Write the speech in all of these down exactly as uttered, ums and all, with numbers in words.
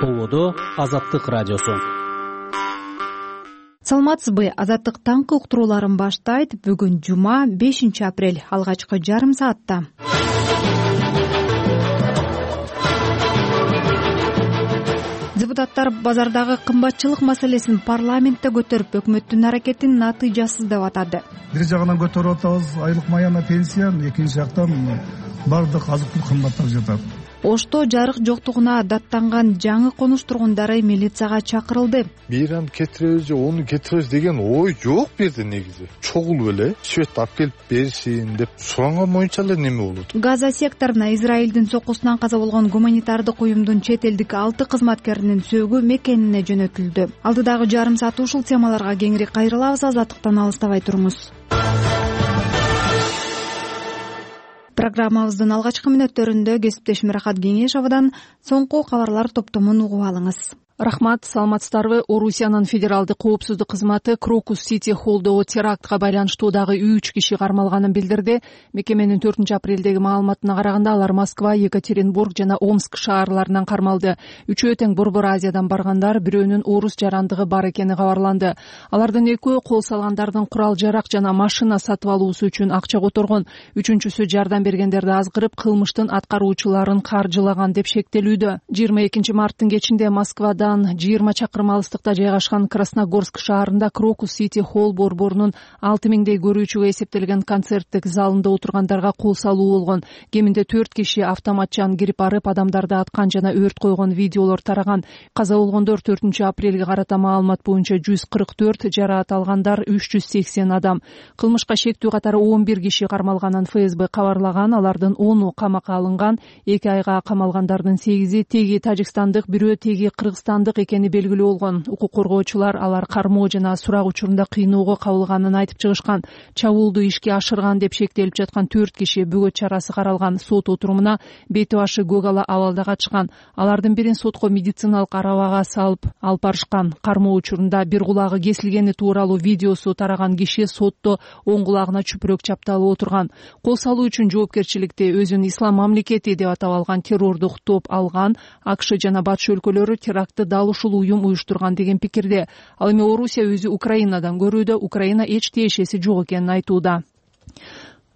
Ободо Азаттык радиосу. Саламатсызбы? Азаттык таңкы уктурууларын баштайт. Бүгүн жума, бешинчи апрель, алгачкы жарым саатта. Депутаттар базардагы кымбатчылык маселесин парламентте көтөрүп, өкмөттүн аракетин натыйжасыз деп атады. Бир жагынан көтөрүп атабыз айлык маяна пенсияны, экинчи жактан бардык азык-түлүк кымбаттап жатат. Ошто жарык жоктугуна даттанган жаңы конуш тургундары милицияга чакырылды. Биран кетиребиз же ону кетиребиз деген ой жок бу жерде негизи. Чогул эле свет алып келип беришин деп суранган боюнча эле неме болот. Газа секторуна Израилдин сокусунан каза болгон гуманитардык уюмдун чет элдик алты кызматкеринин сөөгү мекенине жөнөтүлдү. Алдыдагы жарым саат ушул темаларга кеңири кайрылабыз. Азаттыктан алыстабай туруңуз. Программабыздын алгачкы мүнөттөрүндө кесиптешим Рахат Кеңешовдон соңку кабарлар топтомун угуп алыңыз. Рахмат, саламатсыздарбы? Орусиянын федералдык коопсуздук кызматы Крокус Сити холлдогу терактка байланыштуу дагы үч киши кармалганын билдирди. Мекеменин төртүнчү апрелдеги маалыматына караганда алар Москва, Екатеринбург жана Омск шаарларынан кармалды. Үчөө тең Борбор Азиядан баргандар, бирөөнүн орус жарандыгы бар экени кабарланды. Алардын экөө кол салгандардын курал жарак жана машина сатып алуусу үчүн акча которгон. Үчүнчүсү жардам бергендерди азгырып, кылмыштын аткаруучуларын каржылаган деп шектелүүдө. жыйырма экинчи марттын кечинде Москвада жыйырма чакырым алыстыкта жайгашкан Красногорск шаарында Крокус Сити холл борборунун алты миңдей көрүүчүгө эсептелген концерттик залында отургандарга кол салуу болгон. Кеминде төрт киши автоматчан кирип барып, адамдарды аткан жана өрт койгон видеолор тараган. Каза болгондор төртүнчү апрелге карата маалымат боюнча жүз кырк төрт, жараат алгандар үч жүз сексен адам. Кылмышка шектүү катары он бир киши кармалганын эф эс бэ кабарлаган. Алардын ону камакка алынган. эки айга камалгандардын сегизи теги тажикстандык, бирөө теги кыргызстан экени белгилүү болгон. Укук коргоочулар алар кармоо жана сурак учурунда кыйноого кабылганын айтып чыгышкан. Чабуулду ишке ашырган деп шектелип жаткан төрт киши бөгөт чарасы каралган. Сот отурумуна бети башы көк ала абалда качкан. Алардын бирин сотко медициналык арабага салып алып барышкан. Кармоо учурунда бир кулагы кесилгени тууралуу видеосу тараган киши сотто оң кулагына чүпүрөк чапталып отурган. Кол салуу үчүн жоопкерчиликти өзүн Ислам мамлекети деп атап алган террордук топ алган. АКШ жана батыш өлкөлөрү терактты дал ушул уюм уюштурган деген пикирде. Ал эми Орусия өзү Украинадан көрүүдө, Украина эч тиешеси жок экенин айтууда.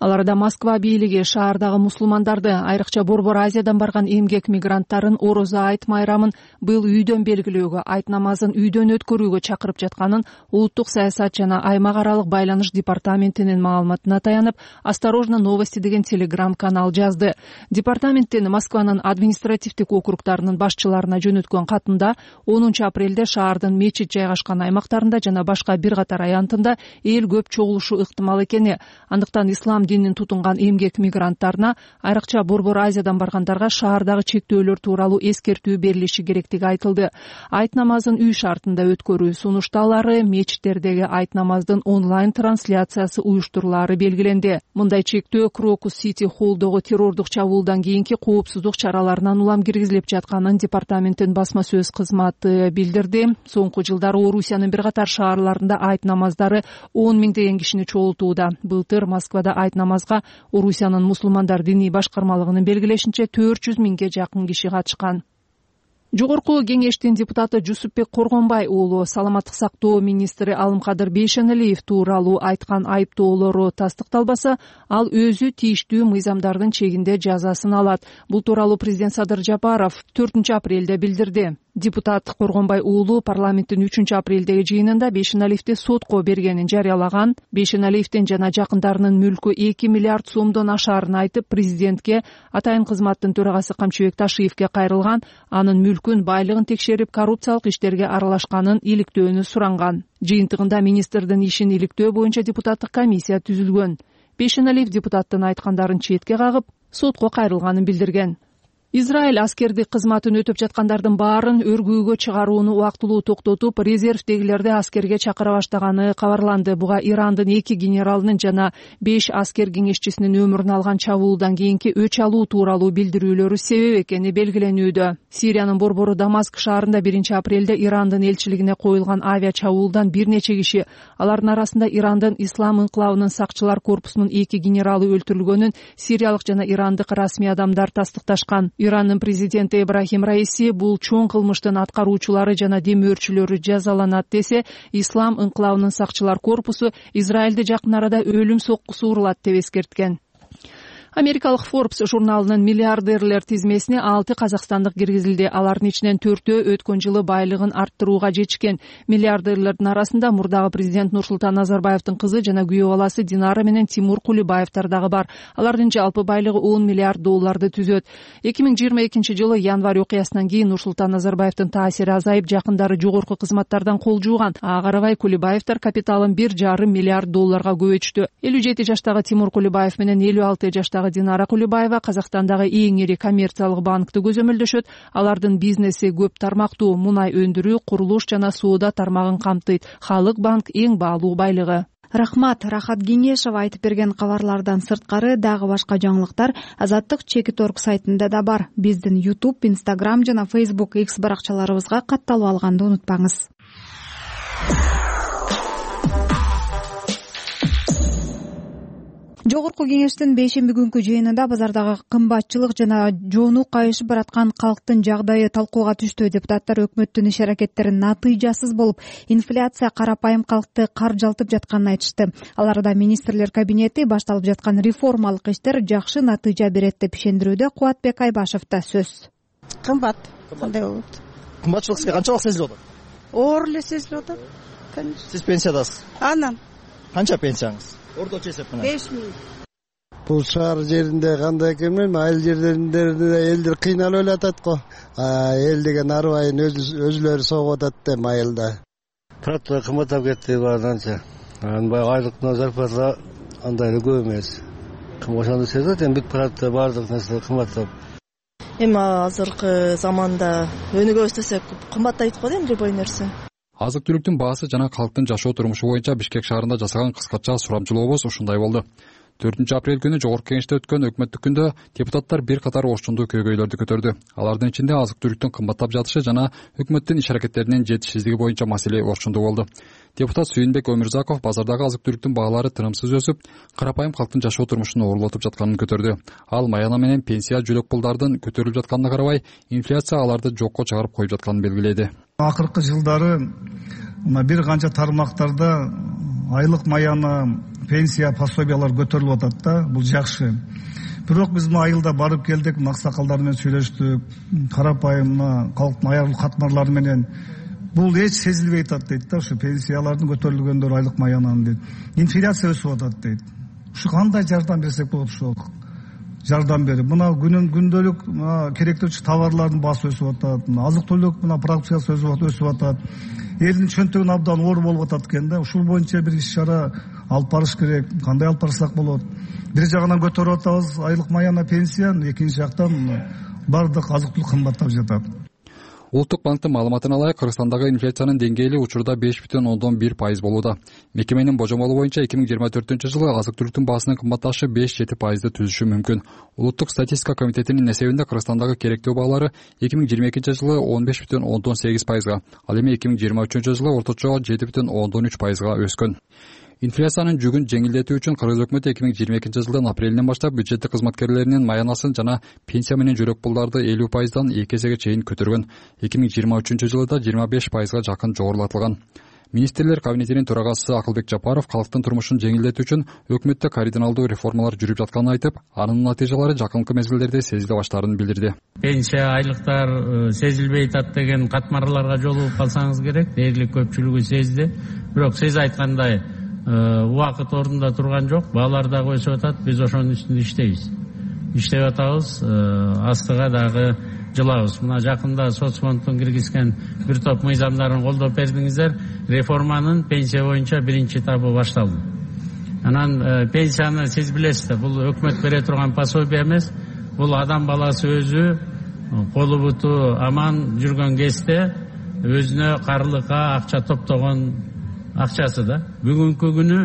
Аларда Москва бийлиги шаардагы мусулмандарды, айрыкча Борбор Азиядан барган эмгек мигранттарын орозо айт майрамын быйыл үйдөн белгилөөгө, айт намазын үйдөн өткөрүүгө чакырып жатканын Улуттук саясат жана аймак аралык байланыш департаментинин маалыматына таянып, Осторожно новости деген телеграм-канал жазды. Департаменттин Москванын административдик округдарынын башчыларына жөнөткөн катында онунчу апрелде шаардын мечит жайгашкан аймактарында жана башка бир катар аянтында эл көп чогулушу ыктымал экени, андыктан ислам динин тутунган эмгек мигранттарына, айрыкча Борбор Азиядан баргандарга шаардагы чектөөлөр тууралуу эскертүү берилиши керектиги айтылды. Айт намазын үй шартында өткөрүү сунушталары, мечиттердеги айт намаздын онлайн трансляциясы уюштурулаары белгиленди. Мындай чектөө Крокус Сити холлдогу террордук чабуулдан кийинки коопсуздук чараларынан улам киргизилип жатканын департаменттин басма сөз кызматы билдирди. Соңку жылдары Орусиянын бир катар шаарларында айт намаздары он миңдеген кишини чогултууда. Былтыр Москвада айт намазга Орусиянын мусулмандар диний башкармалыгынын белгилешинче төрт жүз миңге жакын киши катышкан. Жогорку кеңештин депутаты Жусупбек Коргонбай уулу саламаттык сактоо министри Алымкадыр Бейшеналиев тууралуу айткан айыптоолору тастыкталбаса, ал өзү тийиштүү мыйзамдардын чегинде жазасын алат. Бул тууралуу президент Садыр Жапаров төртүнчү апрелде билдирди. Депутат Коргонбай уулу парламенттин үчүнчү апрелдеги жыйынында Бейшеналиевди сотко бергенин жарыялаган. Бейшеналиевдин жана жакындарынын мүлкү эки миллиард сомдон ашаарын айтып, президентке, атайын кызматтын төрагасы Камчыбек Ташиевке кайрылган. Анын мүлкүн, байлыгын текшерип, коррупциялык иштерге аралашканын иликтөөнү суранган. Жыйынтыгында министрдин ишин иликтөө боюнча депутаттык комиссия түзүлгөн. Бейшеналиев депутаттын айткандарын четке кагып, сотко кайрылганын билдирген. Израиль аскердик кызматын өтөп жаткандардын баарын өргүүгө чыгарууну убактылуу токтотуп, резервдегилерди аскерге чакыра баштаганы кабарланды. Буга Ирандын эки генералынын жана беш аскер кеңешчисинин өмүрүн алган чабуулдан кийинки өч алуу тууралуу билдирүүлөрү себеп экени белгиленүүдө. Сириянын борбору Дамаск шаарында биринчи апрелде Ирандын элчилигине коюлган авиа чабуулдан бир нече киши, алардын арасында Ирандын Ислам инкылабынын сакчылар корпусунун эки генералы өлтүрүлгөнүн сириялык жана ирандык расмий адамдар тастыкташкан. Ирандын президенти Ибрахим Раиси бул чоң кылмыштын аткаруучулары жана демөөрчүлөрү жазаланат десе, Ислам ыңкылабынын сакчылар корпусу Израилде жакын арада өлүм соккусу урулат деп эскерткен. Америкалык Forbes журналынын миллиардерлер тизмесине алты казакстандык киргизилди. Алардын ичинен төртөө өткөн жылы байлыгын арттырууга жетишкен. Миллиардерлердин арасында мурдагы президент Нурсултан Назарбаевдин кызы жана күйөө баласы Динара менен Тимур Кулибаевдер дагы бар. Алардын жалпы байлыгы он миллиард долларды түзөт. эки миң жыйырма экинчи жылы январь окуясынан кийин Нурсултан Назарбаевдин таасири азайып, жакындары жогорку кызматтардан кол жууган. Ага карабай Кулибаевдер капиталын бир жарым миллиард долларга көбөйтүштү. элүү жети жаштагы Тимур Кулибаев менен элүү алты жаштагы Динара Кулибаева Казакстандагы эң ири коммерциялык банкты көзөмөлдөшөт. Алардын бизнеси көп тармактуу, мунай өндүрүү, курулуш жана соода тармагын камтыйт. Халык банк эң баалуу байлыгы. Рахмат. Рахат Кеңешова айтып берген кабарлардан сырткары дагы башка жаңылыктар Азаттык чекит точка орг сайтында да бар. Биздин YouTube, Instagram жана Facebook X баракчаларыбызга катталып алганды унутпаңыз. Жогорку Кеңештин бейшемби күнкү жыйынында базардагы кымбатчылык жана жонук кайышып бараткан калктын жагдайы талкууга түштү. Депутаттар өкмөттүн иш-аракеттерин натыйжасыз болуп, инфляция карапайым калкты каржалтып жатканын айтышты. Аларда министрлер кабинети башталып жаткан реформалык иштер жакшы натыйжа берет деп ишендирүүдө. Кубатбек Айбашевда сөз. Кымбат кандай болот? Кымбатчылык сизге канчалык сезилип атат? Оор эле сезилип атат. Конечно. Сиз пенсиядасыз. Анан канча пенсияңыз? Орточо эсеп менен беш миң. Бул шаар жеринде кандай экен билбейм, айыл жерлеринде элдер кыйналып элатат го. Эл деген арбайын өзүлөрү согуп атат да айылда. Продукттар кымбаттап кетти баарданча. Анан баягы айлык зарплата андай эле көп эмес. Ошондо сезет, эми бүт продукттар баардык нерсе кымбаттап. Эми азыркы заманда өнүгө өстөсөк кымбаттайт го эми любой нерсе. Азык-түлүктүн баасы жана калктын жашоо турмушу боюнча Бишкек шаарында жасаган кыскача сурамчылообуз ушундай болду. төртүнчү апрель күнү Жогорку Кеңеште өткөн өкмөттүк күндө депутаттар бир катар орчундуу көйгөйлөрдү көтөрдү. Алардын ичинде азык-түлүктүн кымбаттап жатышы жана өкмөттүн иш-аракеттеринин жетишсиздиги боюнча маселе орчундуу болду. Депутат Сүйүнбек Өмүрзаков базардагы азык-түлүктүн баалары тынымсыз өсүп, карапайым калктын жашоо турмушун оорулатып жатканын көтөрдү. Ал маяна менен пенсия жөлөк пулдардын көтөрүлүп жатканына карабай, инфляция аларды жокко чыгарып коюп жатканын белгиледи. Акыркы жылдары мына бир канча тармактарда айлык маяна, пенсия, пособиялар көтөрүлүп атат да, бул жакшы. Бирок биз мына айылда барып келдик, аксакалдар менен сүйлөштүк, карапайым калктын аял катмарлары менен бул эч сезилбей атат дейт да, ушу пенсиялардын көтөрүлгөндөрү, айлык маянанын дейт. Инфляция өсүп атат дейт. Ушу кандай жардам берсек болот, ушу жардам берип, мына күнүн күндөлүк керектүүчү товарлардын баасы өсүп атат, азык-түлүк мына продукциясы өсүп атат. Элдин чөнтөгүн абдан оор болуп атат экен да. Ушул боюнча бир иш-чара алып барыш керек. Кандай алып барсак болот? Бир жагынан көтөрүп атабыз айлык маяна, пенсияны, экинчи жактан бардык азык-түлүк кымбаттап жатат. Улуттук банктын маалыматына ылайык, Кыргызстандагы инфляциянын деңгээли учурда беш бүтүн ондон бир пайыз болууда. Мекеменин божомолу боюнча эки миң жыйырма төртүнчү жылы азык-түлүктүн баасынын кымбатташы беш жети пайызды түзүшү мүмкүн. Улуттук статистика комитетинин эсебинде Кыргызстандагы керектөө баалары эки миң жыйырма экинчи жылы он беш бүтүн ондон сегиз пайызга, ал эми эки миң жыйырма үчүнчү жылы орточо жети бүтүн ондон үч пайызга өскөн. Инфляциянын жүгүн жеңилдетүү үчүн Кыргыз өкмөтү эки миң жыйырма экинчи жылдын апрелинен баштап бюджеттик кызматкерлеринин маянасын жана пенсия менен жөлөк пулдарды элүү пайыздан эки эсеге чейин көтөргөн. эки миң жыйырма үчүнчү жылы да жыйырма беш пайызга жакын жогорулатылган. Министрлер кабинетинин төрагасы Акылбек Жапаров калктын турмушун жеңилдетүү үчүн өкмөттө кардиналдуу реформалар жүрүп жатканын айтып, анын натыйжалары жакынкы мезгилдерде сезиле баштаарын билдирди. Пенсия, айлыктар сезилбей атат деген катмарларга жолугуп калсаңыз керек, дээрлик көпчүлүгү сезди. Бирок сиз айткандай убакыт ордунда турган жок, баалар дагы өсүп атат, биз ошонун үстүндө иштейбиз. Иштеп атабыз, астыга дагы жылабыз. Мына жакында соцфонддун киргизген бир топ мыйзамдарын колдоп бердиңиздер. Реформанын пенсия боюнча биринчи этабы башталды. Анан пенсияны сиз билесиз, бул өкмөт бере турган пособие эмес, бул адам баласы өзү колу буту аман жүргөн кезде өзүнө карлыкка акча топтогон акчасы да. Бүгүнкү күнү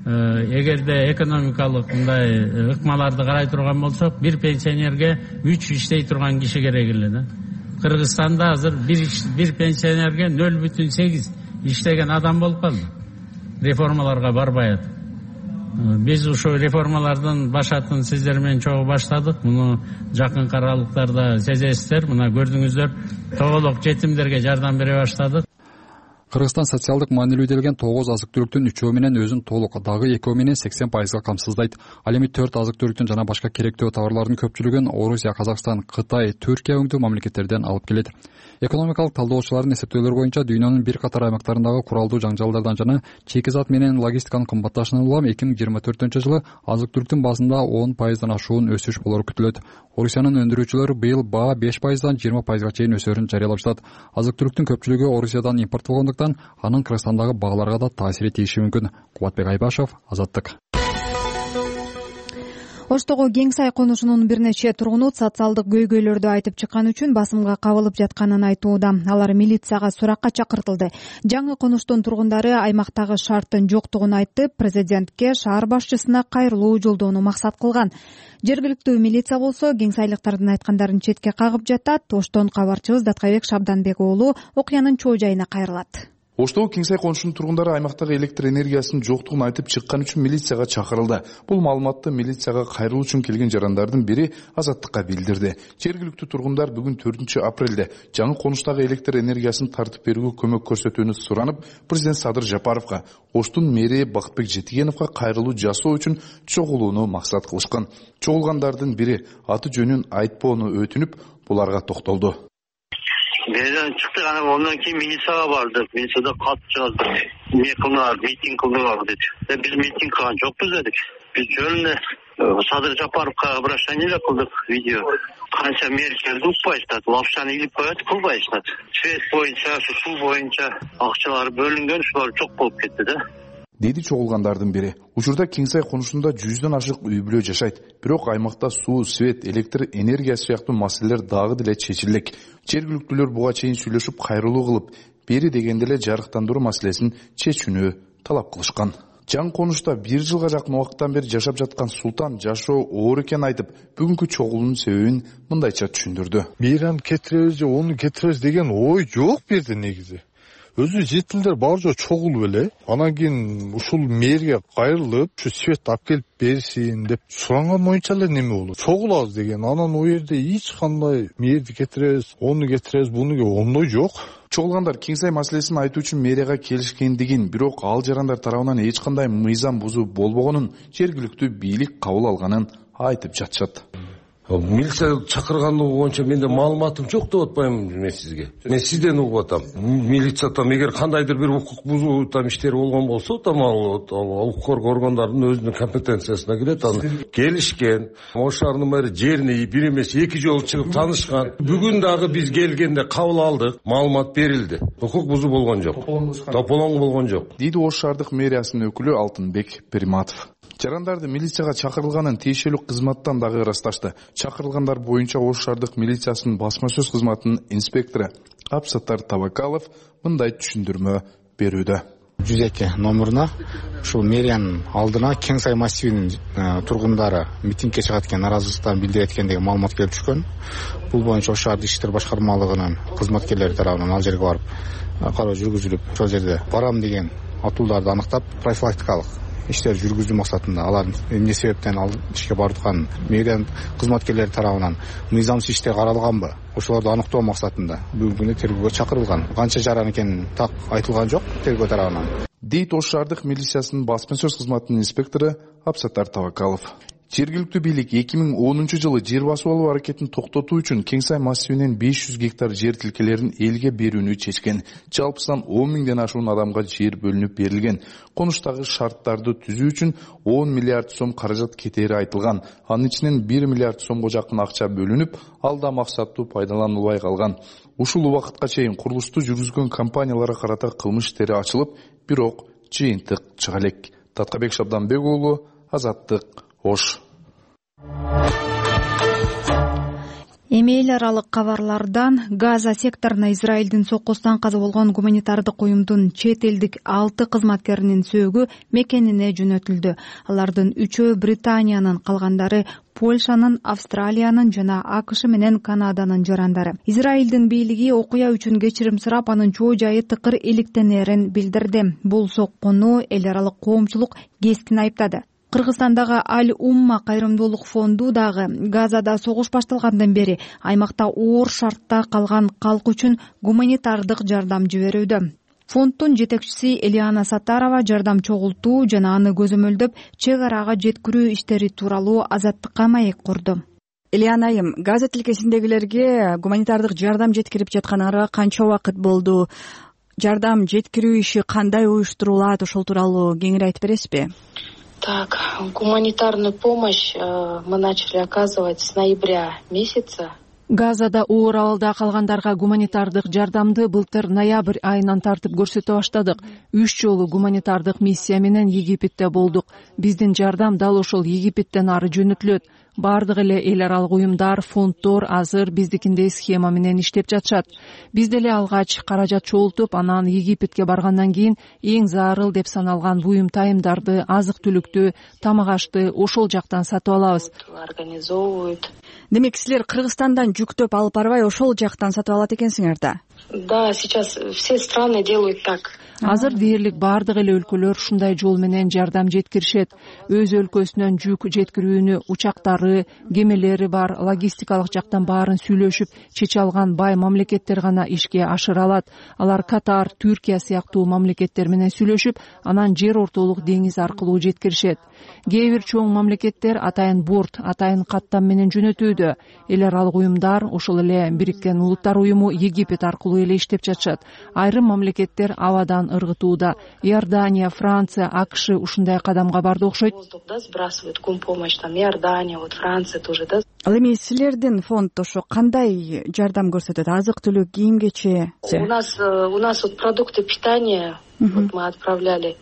эгерде экономикалык мындай ыкмаларды карай турган болсок, бир пенсионерге үч иштей турган киши керек эле да. Кыргызстанда азыр бир бир пенсионерге нөл бүтүн сегиз иштеген адам болуп калды. Реформаларга барбай атып. Биз ушул реформалардын башатын сиздер менен чогуу баштадык. Муну жакынкы аралыктарда сезесиздер. Мына көрдүңүздөр, тоголок жетимдерге жардам бере баштадык. Кыргызстан социалдык маанилүү делген тогуз азык түлүктүн үчөө менен өзүн толук, дагы экөө менен сексен пайызга камсыздайт. Ал эми төрт азык түлүктүн жана башка керектүү товарлардын көпчүлүгүн Орусия, Казакстан, Кытай, Түркия өңдүү мамлекеттерден алып келет. Экономикалык талдоочулардын эсептөөлөрү боюнча дүйнөнүн бир катар аймактарындагы куралдуу жаңжалдардан жана чекизат менен логистиканын кымбатташынан улам эки миң жыйырма төртүнчү жылы азык түлүктүн баасында он пайыздан ашуун өсүш болору күтүлөт. Орусиянын өндүрүүчүлөрү быйыл баа беш пайыздан жыйырма пайызга чейин өсөрүн жарыялап жатат. Азык түлүктүн көпчүлүгү Орусиядан импорттолгондуктан анын Кыргызстандагы бааларга да таасири тийиши мүмкүн. Кубатбек Айбашев, Азаттык. Оштогу Кең Сай конушунун бир нече тургуну социалдык көйгөйлөрдү айтып чыккан үчүн басымга кабылып жатканын айтууда. Алар милицияга суракка чакыртылды. Жаңы конуштун тургундары аймактагы шарттын жоктугун айтып, президентке, шаар башчысына кайрылуу жолдоону максат кылган. Жергиликтүү милиция болсо Кең Сайлыктардын айткандарын четке кагып жатат. Оштон кабарчыбыз Даткайбек Шабданбек уулу окуянын чоо жайына кайрылат. Оштогу Кең Сай конушунун тургундары аймактагы электр энергиясынын жоктугун айтып чыккан үчүн милицияга чакырылды. Бул маалыматты милицияга кайрылуу үчүн келген жарандардын бири Азаттыкка билдирди. Жергиликтүү тургундар бүгүн төртүнчү апрелде жаңы конуштагы электр энергиясын тартып берүүгө көмөк көрсөтүүнү суранып, президент Садыр Жапаровго, Оштун мэри Бакытбек Жетигеновго кайрылуу жасоо үчүн чогулууну максат кылышкан. Чогулгандардын бири аты жөнүн айтпоону өтүнүп, буларга токтолду. Мээден чыкты, анан ондан кийин милицияга бардык. Милицияда кат жаздык. Эмне кылдыңар, митинг кылдыңар деди. Биз митинг кылган жокпуз дедик. Биз жөн эле Садыр Жапаровго обращение кылдык, видео. Канча мэр келди, укпайсыздар. Лапшаны илип коет, кылбайсыздар. Свет боюнча, суу боюнча акчалар бөлүнгөн, ушулар жок болуп кетти да. Деди чогулгандардын бири. Учурда Кең Сай конушунда жүздөн ашык үй бүлө жашайт. Бирок аймакта суу, свет, электр энергиясы сыяктуу маселелер дагы деле чечилек. Жергиликтүүлөр буга чейин сүйлөшүп, кайрылуу кылып, бери дегенде эле жарыктандыруу маселесин чечүүнү талап кылышкан. Жаңы конушта бир жылга жакын убакыттан бери жашап жаткан Султан жашоо оор экенин айтып, бүгүнкү чогулуунун себебин мындайча түшүндүрдү. Мээраны кетиребиз же ону кетиребиз деген ой жок бу жерде негизи. Өзү жетилдер бар жок чогулуп эле, анан кийин ушул мэрге кайрылып, ушу свет алып келип берсин деп суранган боюнча эле неме болот. Чогулабыз деген, анан о жерде эч кандай мэрди кетиребиз, ону кетиребиз, буну ондой жок. Чогулгандар Кең Сай маселесин айтуу үчүн мэрияга келишкендигин, бирок ал жарандар тарабынан эч кандай мыйзам бузуу болбогонун, жергиликтүү бийлик кабыл алганын айтып жатышат. Милиция чакыргандыгы боюнча менде маалыматым жок деп атпаймынбы мен сизге. Мен сизден угуп атам. Милиция там эгер кандайдыр бир укук бузуу там иштери болгон болсо, там ал укук коргоо органдарынын өзүнүн компетенциясына кирет. Аны келишкен, Ош шаарынын мэри жерине бир эмес эки жолу чыгып таанышкан. Бүгүн дагы биз келгенде кабыл алдык, маалымат берилди. Укук бузуу болгон жок. Тополоң болгон жок. Дейди Ош шаардык мэриясынын өкүлү Алтынбек Периматов. Жарандарды милицияга чакырылганын тиешелүү кызматтан дагы ырасташты. Чакырылгандар боюнча Ош шаардык милициясынын басма сөз кызматынын инспектору Абсаттар Табакалов мындай түшүндүрмө берүүдө. жүз эки номуруна ушул мэриянын алдына Кең Сай массивинин тургундары митингге чыгат экен, наразылыктарын билдирет экен деген маалымат келип түшкөн. Бул боюнча Ош шаардык иштер башкармалыгынын кызматкерлери тарабынан ал жерге барып кароо жүргүзүлүп, ошол жерде барам деген атууларды аныктап, профилактикалык иштер жүргүзүү максатында алардын эмне себептен ал ишке баратканын мэрия кызматкерлери тарабынан мыйзамсыз иштер каралганбы, ошолорду аныктоо максатында бүгүнкү күндө тергөөгө чакырылган. Канча жаран экени так айтылган жок тергөө тарабынан. Дейт Ош шаардык милициясынын басма сөз кызматынын инспектору Абсаттар Табакалов. Жергиликтүү бийлик эки миң онунчу жылы жер басып алуу аракетин токтотуу үчүн Кең Сай массивинен беш жүз гектар жер тилкелерин элге берүүнү чечкен. Жалпысынан он миңден ашуун адамга жер бөлүнүп берилген. Конуштагы шарттарды түзүү үчүн он миллиард сом каражат кетери айтылган. Анын ичинен бир миллиард сомго жакын акча бөлүнүп, ал да максаттуу пайдаланылбай калган. Ушул убакытка чейин курулушту жүргүзгөн компанияларга карата кылмыш иштери ачылып, бирок жыйынтык чыга элек. Таткайбек Шабданбек уулу, Азаттык, Ош. Эми эл аралык кабарлардан Газа секторуна Израилдин соккусунан каза болгон гуманитардык уюмдун чет элдик алты кызматкеринин сөөгү мекенине жөнөтүлдү. Алардын үчөө Британиянын, калгандары Польшанын, Австралиянын жана АКШ менен Канаданын жарандары. Израилдин бийлиги окуя үчүн кечирим сурап, анын чоо жайы тыкыр иликтенерин билдирди. Бул соккуну эл аралык коомчулук кескин айыптады. Кыргызстандагы Аль Умма кайрымдуулук фонду дагы Газада согуш башталгандан бери аймакта оор шартта калган калк үчүн гуманитардык жардам жиберүүдө. Фонддун жетекчиси Элиана Саттарова жардам чогултуу жана аны көзөмөлдөп чек арага жеткирүү иштери тууралуу Азаттыкка маек курду. Элиана айым, Газа тилкесиндегилерге гуманитардык жардам жеткирип жатканыңарга канча убакыт болду? Жардам жеткирүү иши кандай уюштурулат, ошол тууралуу кеңири айтып бересизби? Так, гуманитарную помощь мы начали оказывать с ноября месяца. Газада оор абалда калгандарга гуманитардык жардамды былтыр ноябрь айынан тартып көрсөтө баштадык. Үч жолу гуманитардык миссия менен Египетте болдук. Биздин жардам дал ошол Египеттен ары жөнөтүлөт. Бардык эле эл аралык уюмдар, фонддор азыр биздикиндей схема менен иштеп жатышат. Биз деле алгач каражат чогултуп, анан Египетке баргандан кийин эң зарыл деп саналган буюм тайымдарды, азык-түлүктү, тамак-ашты ошол жактан сатып алабыз. Организовывают. Демек, силер Кыргызстандан жүктөп алып барбай, ошол жактан сатып алат экенсиңер да? Да, сейчас все страны делают так. Азыр дээрлик бардык эле өлкөлөр ушундай жол менен жардам жеткиришет. Өз өлкөсүнөн жүк жеткирүүнү учактары, кемелери бар, логистикалык жактан баарын сүйлөшүп чече алган бай мамлекеттер гана ишке ашыра алат. Алар Катар, Түркия сыяктуу мамлекеттер менен сүйлөшүп, анан жер ортолук деңиз аркылуу жеткиришет. Кээ бир чоң мамлекеттер атайын борт, атайын каттам менен жөнөтүүдө. Эл аралык уюмдар, ошол эле Бириккен Улуттар уюму Египет аркылуу эле иштеп жатышат. Айрым мамлекеттер абадан ыргытууда. Иордания, Франция, АКШ ушундай кадамга барды окшойт. Сбрасывают гумпомощь, там Иордания, вот Франция тоже, да. Ал эми силердин фонд ошо кандай жардам көрсөтөт? Азык-түлүк, кийим-кече? У нас у нас вот продукты питания вот мы отправляли.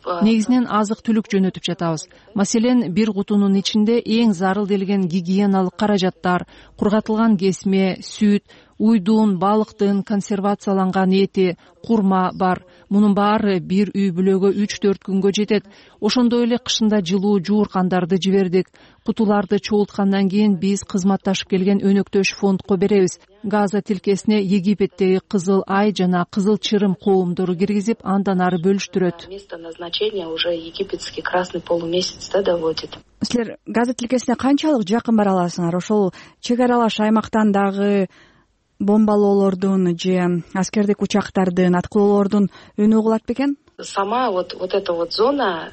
Негизинен азык-түлүк жөнөтүп жатабыз. Маселен, бир кутунун ичинде эң зарыл делген гигиеналык каражаттар, кургатылган кесме, сүт, уйдун, балыктын консервацияланган эти, курма бар. Мунун баары бир үй бүлөгө үч төрт күнгө жетет. Ошондой эле кышында жылуу жууркандарды жибердик. Кутуларды чогулткандан кийин биз кызматташып келген өнөктөш фондко беребиз. Газа тилкесине Египеттеги Кызыл Ай жана Кызыл Чырым коомдору киргизип, андан ары бөлүштүрөт. Место назначения уже египетский красный полумесяц да доводит. Силер Газа тилкесине канчалык жакын бара аласыңар? Ошол чек аралаш аймактан дагы бомбалоолордун же аскердик учактардын, аткылоолордун үнү угулат бекен? Сама вот вот эта вот зона,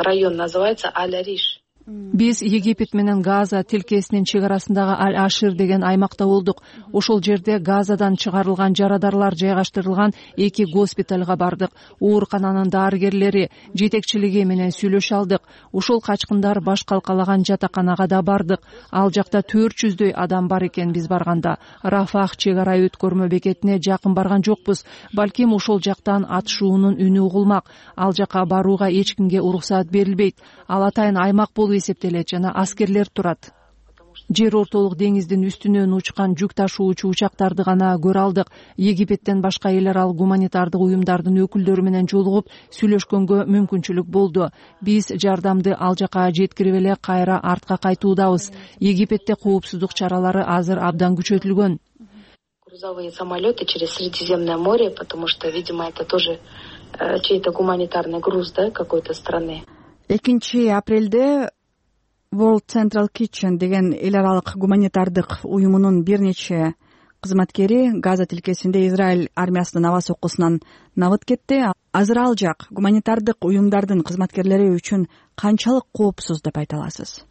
район называется Аль-Ариш. Биз Египет менен Газа тилкесинин чек арасындагы Аль-Ашир деген аймакта болдук. Ошол жерде Газадан чыгарылган жарадарлар жайгаштырылган эки госпиталга бардык. Оорукананын дарыгерлери, жетекчилиги менен сүйлөшө алдык. Ошол качкындар баш калкалаган жатаканага да бардык. Ал жакта төрт жүздөй адам бар экен биз барганда. Рафах чек ара өткөрмө бекетине жакын барган жокпуз. Балким ошол жактан атышуунун үнү угулмак. Ал жака барууга эч кимге уруксаат берилбейт. Ал атайын аймак болуп эсептелет жана аскерлер турат. Жер ортолук деңиздин үстүнөн учкан жүк ташуучу учактарды гана көрө алдык. Египеттен башка эл аралык гуманитардык уюмдардын өкүлдөрү менен жолугуп сүйлөшкөнгө мүмкүнчүлүк болду. Биз жардамды ал жака жеткирип эле кайра артка кайтуудабыз. Египетте коопсуздук чаралары азыр абдан күчөтүлгөн. Грузовые самолеты через Средиземное море, потому что, видимо, это тоже чей-то гуманитарный груз, да, какой-то страны. экинчи апрелде World Central Kitchen деген эл аралык гуманитардык уюмунун бир нече кызматкери Газа тилкесинде Израиль армиясынын аба соккусунан набыт кетти. Азыр ал жак гуманитардык уюмдардын кызматкерлери үчүн канчалык коопсуз деп айта аласыз?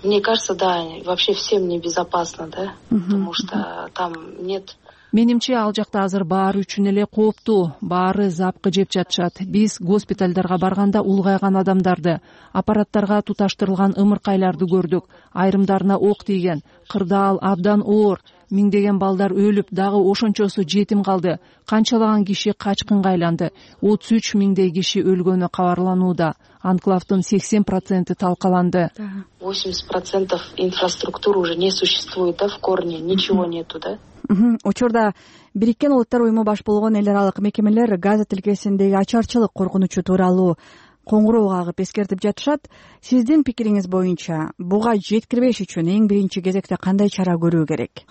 Мне кажется, да, вообще всем небезопасно, да, потому что там нет. Менимче ал жакта азыр баары үчүн эле кооптуу, баары запкы жеп жатышат. Биз госпиталдарга барганда улгайган адамдарды, аппараттарга туташтырылган ымыркайларды көрдүк. Айрымдарына ок тийген, кырдаал абдан оор. Миңдеген балдар өлүп, дагы ошончосу жетим калды. Канчалаган киши качкынга айланды. отуз үч миңдей киши өлгөнү кабарланууда. Анклавдын сексен проценти талкаланды. восемьдесят процентов инфраструктуры уже не существует, да, в корне, ничего нету, да? Учурда Бириккен Улуттар уюму баш болгон эл аралык мекемелер Газа тилкесиндеги ачарчылык коркунучу тууралуу коңгуроо кагып эскертип жатышат. Сиздин пикириңиз боюнча буга жеткирбеш үчүн эң биринчи кезекте кандай чара көрүү керек?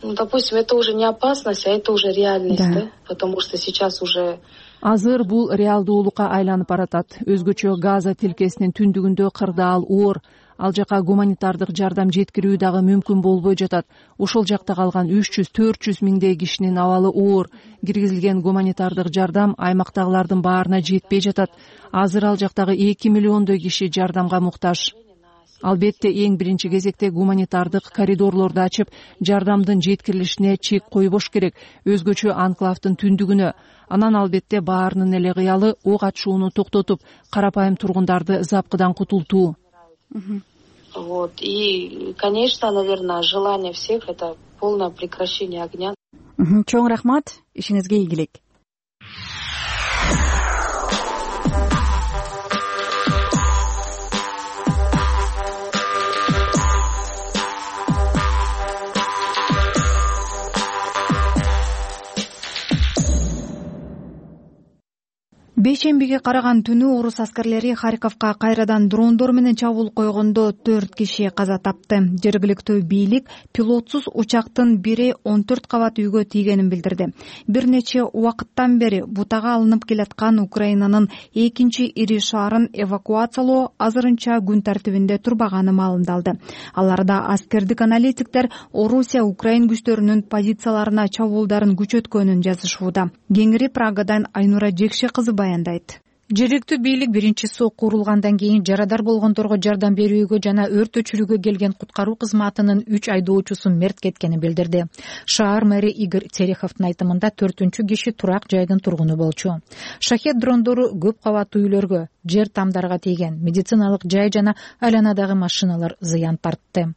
Ну, допустим, это уже не опасность, а это уже реальность, да, да? Потому что сейчас уже Азыр бул реалдуулукка айланып баратат. Өзгөчө Газа тилкесинин түндүгүндө кырдаал оор. Ал жака гуманитардык жардам жеткирүү дагы мүмкүн болбой жатат. Ошол жакта калган үч жүз төрт жүз миңдей кишинин абалы оор. Киргизилген гуманитардык жардам аймактагылардын баарына жетпей жатат. Азыр ал жактагы эки миллиондой киши жардамга муктаж. Албетте эң биринчи кезекте гуманитардык коридорлорду ачып, жардамдын жеткирилишине чек койбош керек, өзгөчө анклавдын түндүгүнө. Анан албетте баарынын эле кыялы ок атышууну токтотуп, карапайым тургундарды запкыдан кутултуу. Вот. И, конечно, наверное, желание всех — это полное прекращение огня. Чоң рахмат, ишиңизге ийгилик. Бейшембиге караган түнү орус аскерлери Харьковго кайрадан дрондор менен чабуул койгондо төрт киши каза тапты. Жергиликтүү бийлик пилотсуз учактын бири он төрт кабат үйгө тийгенин билдирди. Бир нече убакыттан бери бутага алынып келаткан Украинанын экинчи ири шаарын эвакуациялоо азырынча күн тартибинде турбаганы маалымдалды. Аларда аскердик аналитиктер Орусия Украин күчтөрүнүн позицияларына чабуулдарын күчөткөнүн жазышууда. Кеңири Прагадан Айнура Жекше кызы баяндайт. Жергиликтүү бийлик биринчи сокку урулгандан кийин жарадар болгондорго жардам берүүгө жана өрт өчүрүүгө келген куткаруу кызматынын үч айдоочусу мерт кеткенин билдирди. Шаар мэри Игорь Тереховдун айтымында төртүнчү киши турак жайдын тургуну болчу. Шахет дрондору көп кабаттуу үйлөргө, жер тамдарга тийген, медициналык жай жана айланадагы машиналар зыян тартты.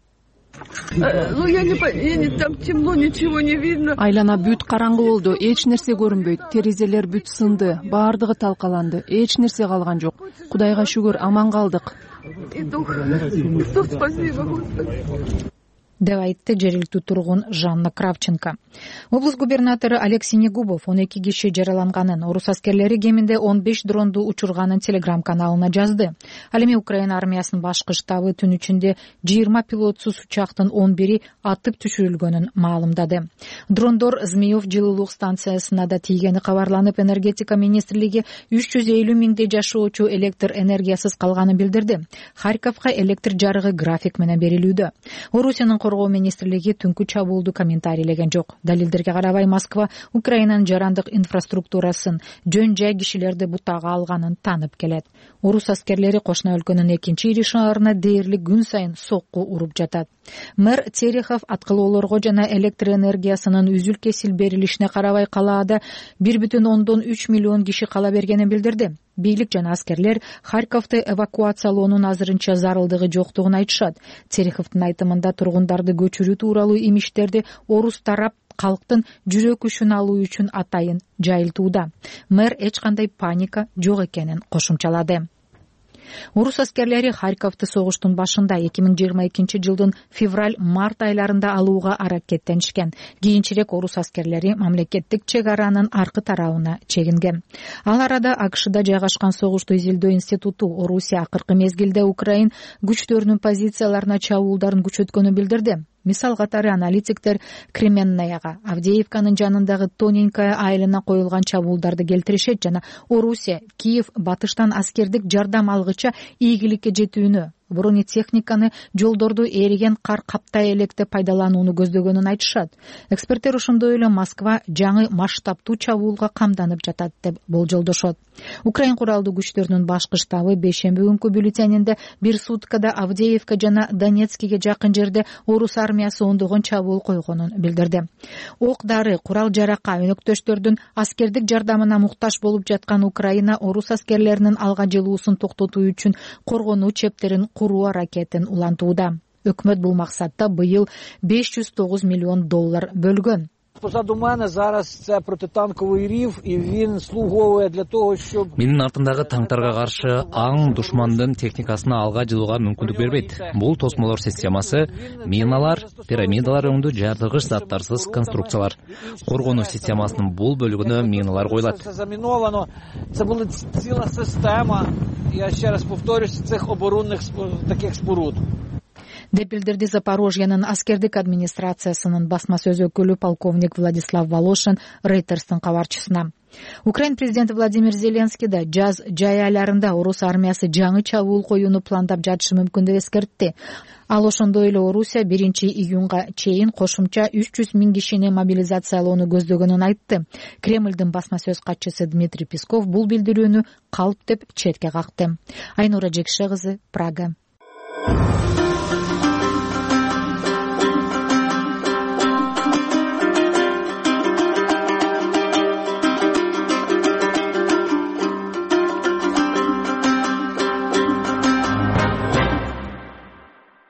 Ну, я не, я не, там темно, ничего не видно. Айлана бүт караңгы болду, эч нерсе көрүнбөйт, терезелер бүт сынды, баардыгы талкаланды, эч нерсе калган жок. Кудайга шүгүр, аман калдык. Спасибо, Господи. деп айтты жергиликтүү тургун Жанна Кравченко. Облус губернатору Алексей Негубов он эки киши жараланганын, орус аскерлери кеминде он беш дронду учурганын Телеграм каналына жазды. Ал эми Украина армиясынын башкы штабы түн ичинде жыйырма пилотсуз учактын он бири атып түшүрүлгөнүн маалымдады. Дрондор Змеев жылуулук станциясына да тийгени кабарланып, энергетика министрлиги үч жүз элүү миңдей жашоочу электр энергиясыз калганын билдирди. Харьковго электр жарыгы график менен берилүүдө. Орусиянын коргоо министрлиги түнкү чабуулду комментарийлеген жок. Далилдерге карабай Москва Украинанын жарандык инфраструктурасын, жөн жай кишилерди бутага алганын танып келет. Орус аскерлери кошуна өлкөнүн экинчи ири шаарына дээрлик күн сайын сокку уруп жатат. Мэр Терехов аткылоолорго жана электр энергиясынын үзүл-кесил берилишине карабай калаада бир бүтүн ондон үч миллион киши кала бергенин билдирди. Бийлик жана аскерлер Харьковду эвакуациялоонун азырынча зарылдыгы жоктугун айтышат. Тереховдун айтымында тургундарды көчүрүү тууралуу имиштерди орус тарап калктын жүрөк күчүн алуу үчүн атайын жайылтууда. Мэр эч кандай паника жок экенин кошумчалады. Орус аскерлери Харьковду согуштун башында эки миң жыйырма экинчи жылдын февраль-март айларында алууга аракеттенишкен. Кийинчерээк орус аскерлери мамлекеттик чек аранын аркы тарабына чегинген. Ал арада АКШда жайгашкан согушту изилдөө институту Орусия акыркы мезгилде Украин күчтөрүнүн позицияларына чабуулдарын күчөткөнүн билдирди. Мисал катары аналитиктер Кременнаяга, Авдеевканын жанындагы Тоненькая айылына коюлган чабуулдарды келтиришет жана Орусия Киев батыштан аскердик жардам алгыча ийгиликке жетүүнү, бронетехниканы, жолдорду эриген кар каптай электе пайдаланууну көздөгөнүн айтышат. Эксперттер ошондой эле Москва жаңы масштабтуу чабуулга камданып жатат деп болжолдошот. Украин куралдуу күчтөрүнүн башкы штабы бейшемби күнкү бюллетенинде бир суткада Авдеевка жана Донецкиге жакын жерде орус армиясы ондогон чабуул койгонун билдирди. Ок дары, курал жарака, өнөктөштөрдүн аскердик жардамына муктаж болуп жаткан Украина орус аскерлеринин алга жылуусун токтотуу үчүн коргонуу чептерин куруу аракетин улантууда. Өкмөт бул максатта быйыл беш жүз тогуз миллион доллар бөлгөн. Позаду мене зараз це протитанковий рів, і він слуговує для того, щоб... Менин артындагы танктарга каршы аң душмандын техникасын алга жылууга мүмкүндүк бербейт. Бул тосмолор системасы, миналар, пирамидалар өңдүү жардыгыч заттарсыз конструкциялар. Коргонуу системасынын бул бөлүгүнө миналар коюлат. Це заміновано. Це була ціла система, я ще раз повторюсь, цих оборонних таких споруд. деп билдирди Запорожьянын аскердик администрациясынын басма сөз өкүлү полковник Владислав Волошин Рейтерстин кабарчысына. Украин президенти Владимир Зеленский да жаз жай айларында орус армиясы жаңы чабуул коюуну пландап жатышы мүмкүн деп эскертти. Ал ошондой эле Орусия биринчи июнга чейин кошумча үч жүз миң кишини мобилизациялоону көздөгөнүн айтты. Кремлдин басма сөз катчысы Дмитрий Песков бул билдирүүнү калп деп четке какты. Айнура Жекше кызы, Прага.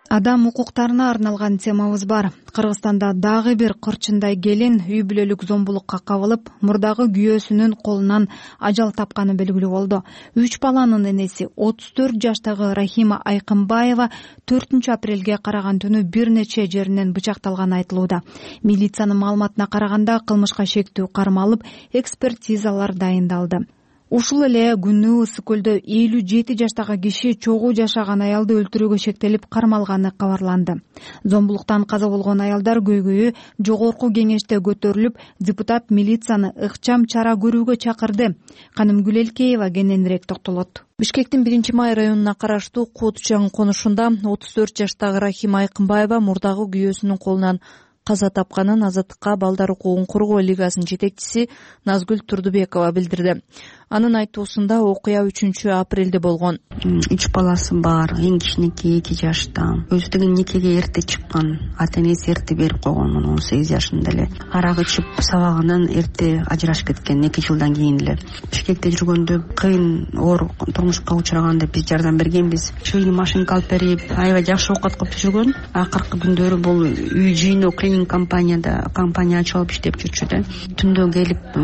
Адам укуктарына арналган темабыз бар. Кыргызстанда дагы бир кырчындай келин үй бүлөлүк зомбулукка кабылып, мурдагы күйөөсүнүн колунан ажал тапканы белгилүү болду. Үч баланын энеси отуз төрт жаштагы Рахима Айкынбаева төртүнчү апрелге караган түнү бир нече жеринен бычакталганы айтылууда. Милициянын маалыматына караганда кылмышка шектүү кармалып, экспертизалар дайындалды. Ушул эле күнү Ысык көлдө элүү жети жаштагы киши чогуу жашаган аялды өлтүрүүгө шектелип кармалганы кабарланды. Зомбулуктан каза болгон аялдар көйгөйү жогорку кеңеште көтөрүлүп, депутат милицияны ыкчам чара көрүүгө чакырды. Канымгүл Элкеева кененирээк токтолот. Бишкектин биринчи май районуна караштуу Кутчаң конушунда отуз төрт жаштагы Рахима Айкынбаева мурдагы күйөөсүнүн колунан каза тапканын Азаттыкка балдар укугун коргоо лигасынын жетекчиси Назгүл Турдубекова билдирди. Анын айтуусунда окуя үчүнчү апрелде болгон. Үч баласы бар, эң кичинекей эки жашта. Өзү деген никеге эрте чыккан, ата энеси эрте берип койгон, он сегиз жашында эле. Арак ичип сабагынан эрте ажырашып кеткен, эки жылдан кийин эле. Бишкекте жүргөндө кыйын оор турмушка учураганда биз жардам бергенбиз. Шилий машинка алып берип, аябай жакшы оокат кылып жүргөн. Акыркы күндөрү бул үй жыйноо клининг компанияда компания ачып алып иштеп жүрчү да. Түндө келип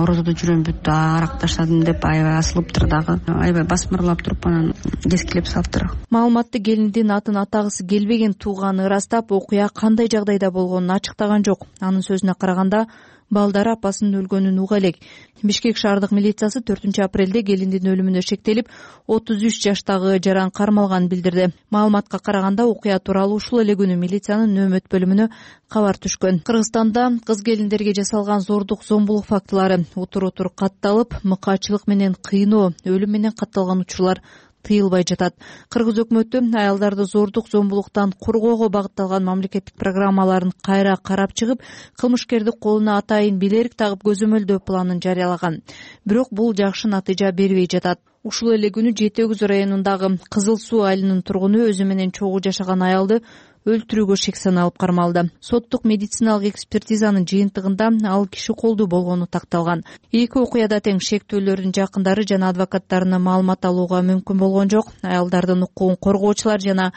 орозодо жүрөм бүт аракташ деп аябай асылыптыр дагы, аябай басмырлап туруп анан кескилеп салыптыр. Маалыматты келиндин атын атагысы келбеген тууганы ырастап, окуя кандай жагдайда болгонун ачыктаган жок. Анын сөзүнө караганда, балдары апасынын өлгөнүн уга элек. Бишкек шаардык милициясы төртүнчү апрелде келиндин өлүмүнө шектелип, отуз үч жаштагы жаран кармалганын билдирди. Маалыматка караганда, окуя тууралуу ушул эле күнү милициянын нөөмөт бөлүмүнө кабар түшкөн. Кыргызстанда кыз келиндерге жасалган зордук, зомбулук фактылары утур-утур катталып, мыкаачылык менен кыйноо, өлүм менен катталган учурлар тыйылбай жатат. Кыргыз өкмөтү аялдарды зордук, зомбулуктан коргоого багытталган мамлекеттик программаларын кайра карап чыгып, кылмышкерди колуна атайын билерик тагып көзөмөлдөө планын жарыялаган. Бирок бул жакшы натыйжа бербей жатат. Ушул эле күнү Жети Өгүз районундагы Кызыл Суу айылынын тургуну өзү менен чогуу жашаган аялды өлтүрүүгө шек саналып кармалды. Соттук медициналык экспертизанын жыйынтыгында ал киши колдуу болгону такталган. Эки окуяда тең шектүүлөрдүн жакындары жана адвокаттарынан маалымат алууга мүмкүн болгон жок. Аялдардын укугун коргоочулар жана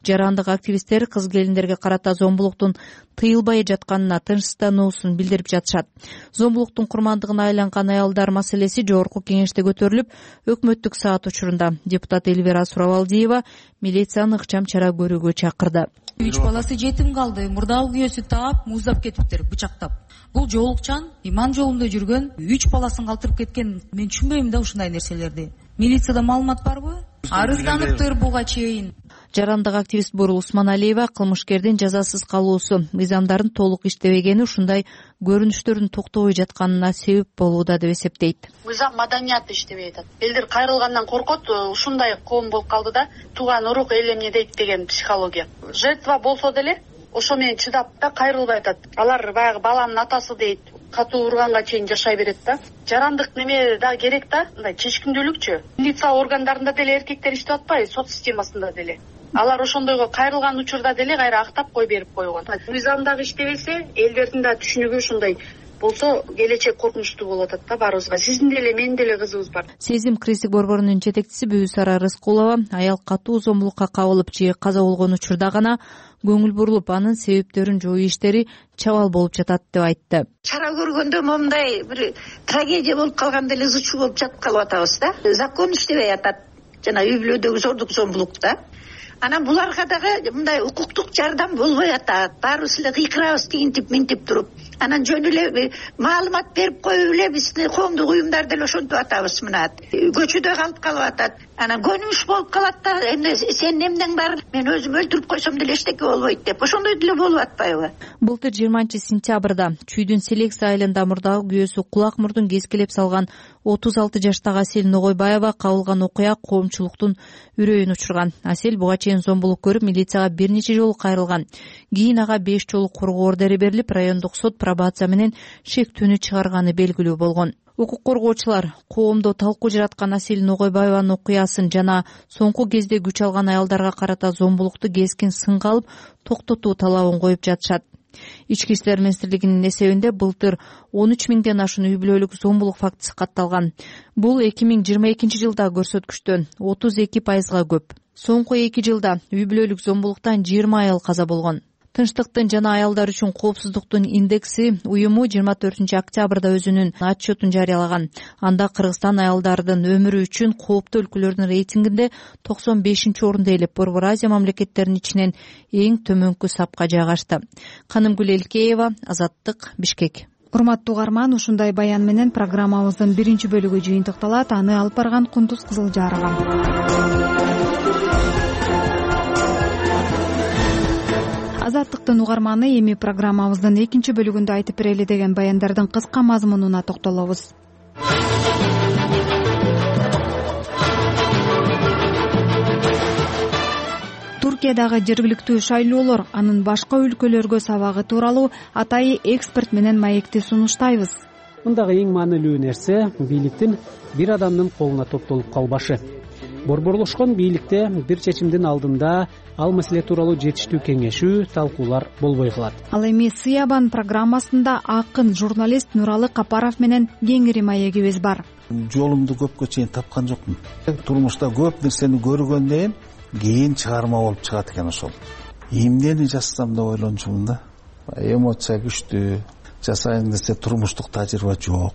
жарандык активисттер кыз келиндерге карата зомбулуктун тыйылбай жатканына тынчсыздануусун билдирип жатышат. Зомбулуктун курмандыгына айланган аялдар маселеси жогорку кеңеште көтөрүлүп, өкмөттүк саат учурунда депутат Эльвира Суравалдиева милицияны ыкчам чара көрүүгө чакырды. Үч баласы жетим калды, мурдагы күйөөсү таап, муздап кетиптир, бычактап. Бул жоолукчан иман жолунда жүргөн, үч баласын калтырып кеткен. Мен түшүнбөйм да ушундай нерселерди. Милицияда маалымат барбы? Арызданыптыр буга чейин. Жарандык активист Бурул Усманалиева кылмышкердин жазасыз калуусу, мыйзамдардын толук иштебегени ушундай көрүнүштөрдүн токтобой жатканына себеп болууда деп эсептейт. Мыйзам маданияты иштебей атат. Элдер кайрылгандан коркот, ушундай коом болуп калды да, тууган урук эл эмне дейт деген психология. Жертва болсо деле ошо менен чыдап да кайрылбай атат. Алар баягы баланын атасы дейт, катуу урганга чейин жашай берет да. Жарандык неме да керек да, мындай чечкиндүүлүкчү. Милиция органдарында деле эркектер иштеп атпайбы, сот системасында деле. Алар ошондойго кайрылган учурда деле кайра актап кой берип койгон. Мыйзам дагы иштебесе, элдердин да түшүнүгү ушундай болсо, келечек коркунучтуу болуп атат да баарыбызга. Сиздин деле, менин деле кызыбыз бар. Сезим Крестик борборунун жетекчиси Бүбүсара Рыскулова аял катуу зомбулукка кабылып же каза болгон учурда гана көңүл бурулуп, анын себептерин жоюу иштери чабал болуп жатат деп айтты. Чара көргөндө момундай бир трагедия болуп калганда эле ызычуу болуп жатып калып атабыз да. Закон иштебей атат. Жана үй бүлөдөгү зордук, зомбулук да. анан буларга дагы мындай укуктук жардам болбой атат. Баарыбыз эле кыйкырабыз тигинтип минтип туруп. Анан жөн эле маалымат берип коюп эле бизди коомдук уюмдар деле ошентип атабыз. Мына көчөдө калып калып атат. Анан көнүмүш болуп калат да, эмне сен эмнең бар, мен өзүм өлтүрүп койсом деле эчтеке болбойт деп. Ошондой деле болуп атпайбы? Былтыр жыйырманчы сентябрда Чүйдүн Селекция айылында мурдагы күйөөсү кулак мурдун кескилеп салган отуз алты жаштагы Асель Ногойбаева кабылган окуя коомчулуктун үрөйүн учурган. Асель буга чейин зомбулук көрүп, милицияга бир нече жолу кайрылган. Кийин ага беш жолу коргоо ордери берилип, райондук сот пробация менен шектүүнү чыгарганы белгилүү болгон. Укук коргоочулар коомдо талкуу жараткан Асель Ногойбаеванын окуясын жана соңку кезде күч алган аялдарга карата зомбулукту кескин сынга алып токтотуу талабын коюп жатышат. Ички иштер министрлигинин эсебинде былтыр он үч миңден ашуун үй бүлөлүк зомбулук фактысы катталган. Бул эки миң жыйырма экинчи жылдагы көрсөткүчтөн отуз эки пайызга көп. Соңку эки жылда үй бүлөлүк зомбулуктан жыйырма аял каза болгон. Тынчтыктын жана аялдар үчүн коопсуздуктун индекси уюму жыйырма төртүнчү октябрда өзүнүн отчетун жарыялаган. Анда Кыргызстан аялдардын өмүрү үчүн кооптуу өлкөлөрдүн рейтингинде токсон бешинчи орунду ээлеп, Борбор Азия мамлекеттеринин ичинен эң төмөнкү сапка жайгашты. Канымгүл Элкеева, Азаттык, Бишкек. Урматтуу угарман, ушундай баян менен программабыздын биринчи бөлүгү жыйынтыкталат. Аны алып барган Кундуз Кызылжарова. Азаттыктын угарманы, эми программабыздын экинчи бөлүгүндө айтып берели деген баяндардын кыска мазмунуна токтолобуз. Туркиядагы жергиликтүү шайлоолор, анын башка өлкөлөргө сабагы тууралуу атайы эксперт менен маекти сунуштайбыз. Мындагы эң маанилүү нерсе бийликтин бир адамдын колуна топтолуп калбашы. Борборлошкон бийликте бир чечимдин алдында ал маселе тууралуу жетиштүү кеңешүү, талкуулар болбой калат. Ал эми Сыябан программасында акын журналист Нуралы Капаров менен кеңири маегибиз бар. Жолумду көпкө чейин тапкан жокмун. Турмушта көп нерсени көргөндөн кийин чыгарма болуп чыгат экен ошол. Эмнени жазсам деп ойлончумун да. Эмоция күчтүү, жасайын десе турмуштук тажрыйба жок.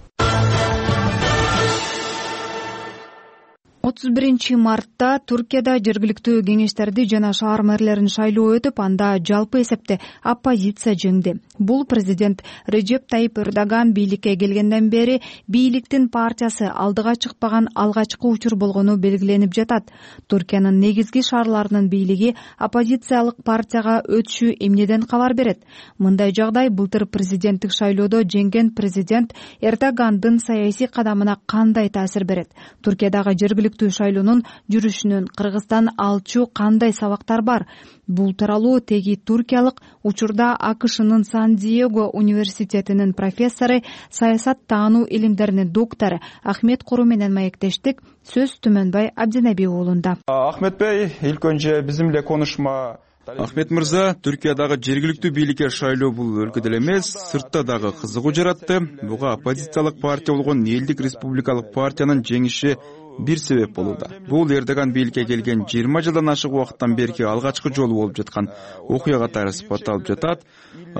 отуз биринчи мартта Туркияда жергиликтүү кеңештерди жана шаар мэрлерин шайлоо өтүп, анда жалпы эсепте оппозиция жеңди. Бул президент Реджеп Тайип Эрдоган бийликке келгенден бери бийликтин партиясы алдыга чыкпаган алгачкы учур болгону белгиленип жатат. Туркиянын негизги шаарларынын бийлиги оппозициялык партияга өтүшү эмнеден кабар берет? Мындай жагдай былтыр президенттик шайлоодо жеңген президент Эрдогандын саясий кадамына кандай таасир берет? Туркиядагы жергиликтүү шайлоонун жүрүшүнөн Кыргызстан алчу кандай сабактар бар? Бул тууралуу теги туркиялык, учурда АКШнын Сан-Диего университетинин профессору, саясат таануу илимдеринин доктору Ахмет Куру менен маектештик. Сөз Түмөнбай Абдинеби уулунда. Ахмет Бey, ilk önce bizimle konuşma. Ахмет мырза, Түркиядагы жергиликтүү бийликке шайлоо бул өлкөдө эле эмес, сыртта дагы кызыгуу жаратты. Буга оппозициялык партия болгон Элдик республикалык партиянын жеңиши бир себеп болууда. Бул Эрдоган бийликке келген жыйырма жылдан ашык убакыттан берки алгачкы жолу болуп жаткан окуя катары сыпатталып жатат.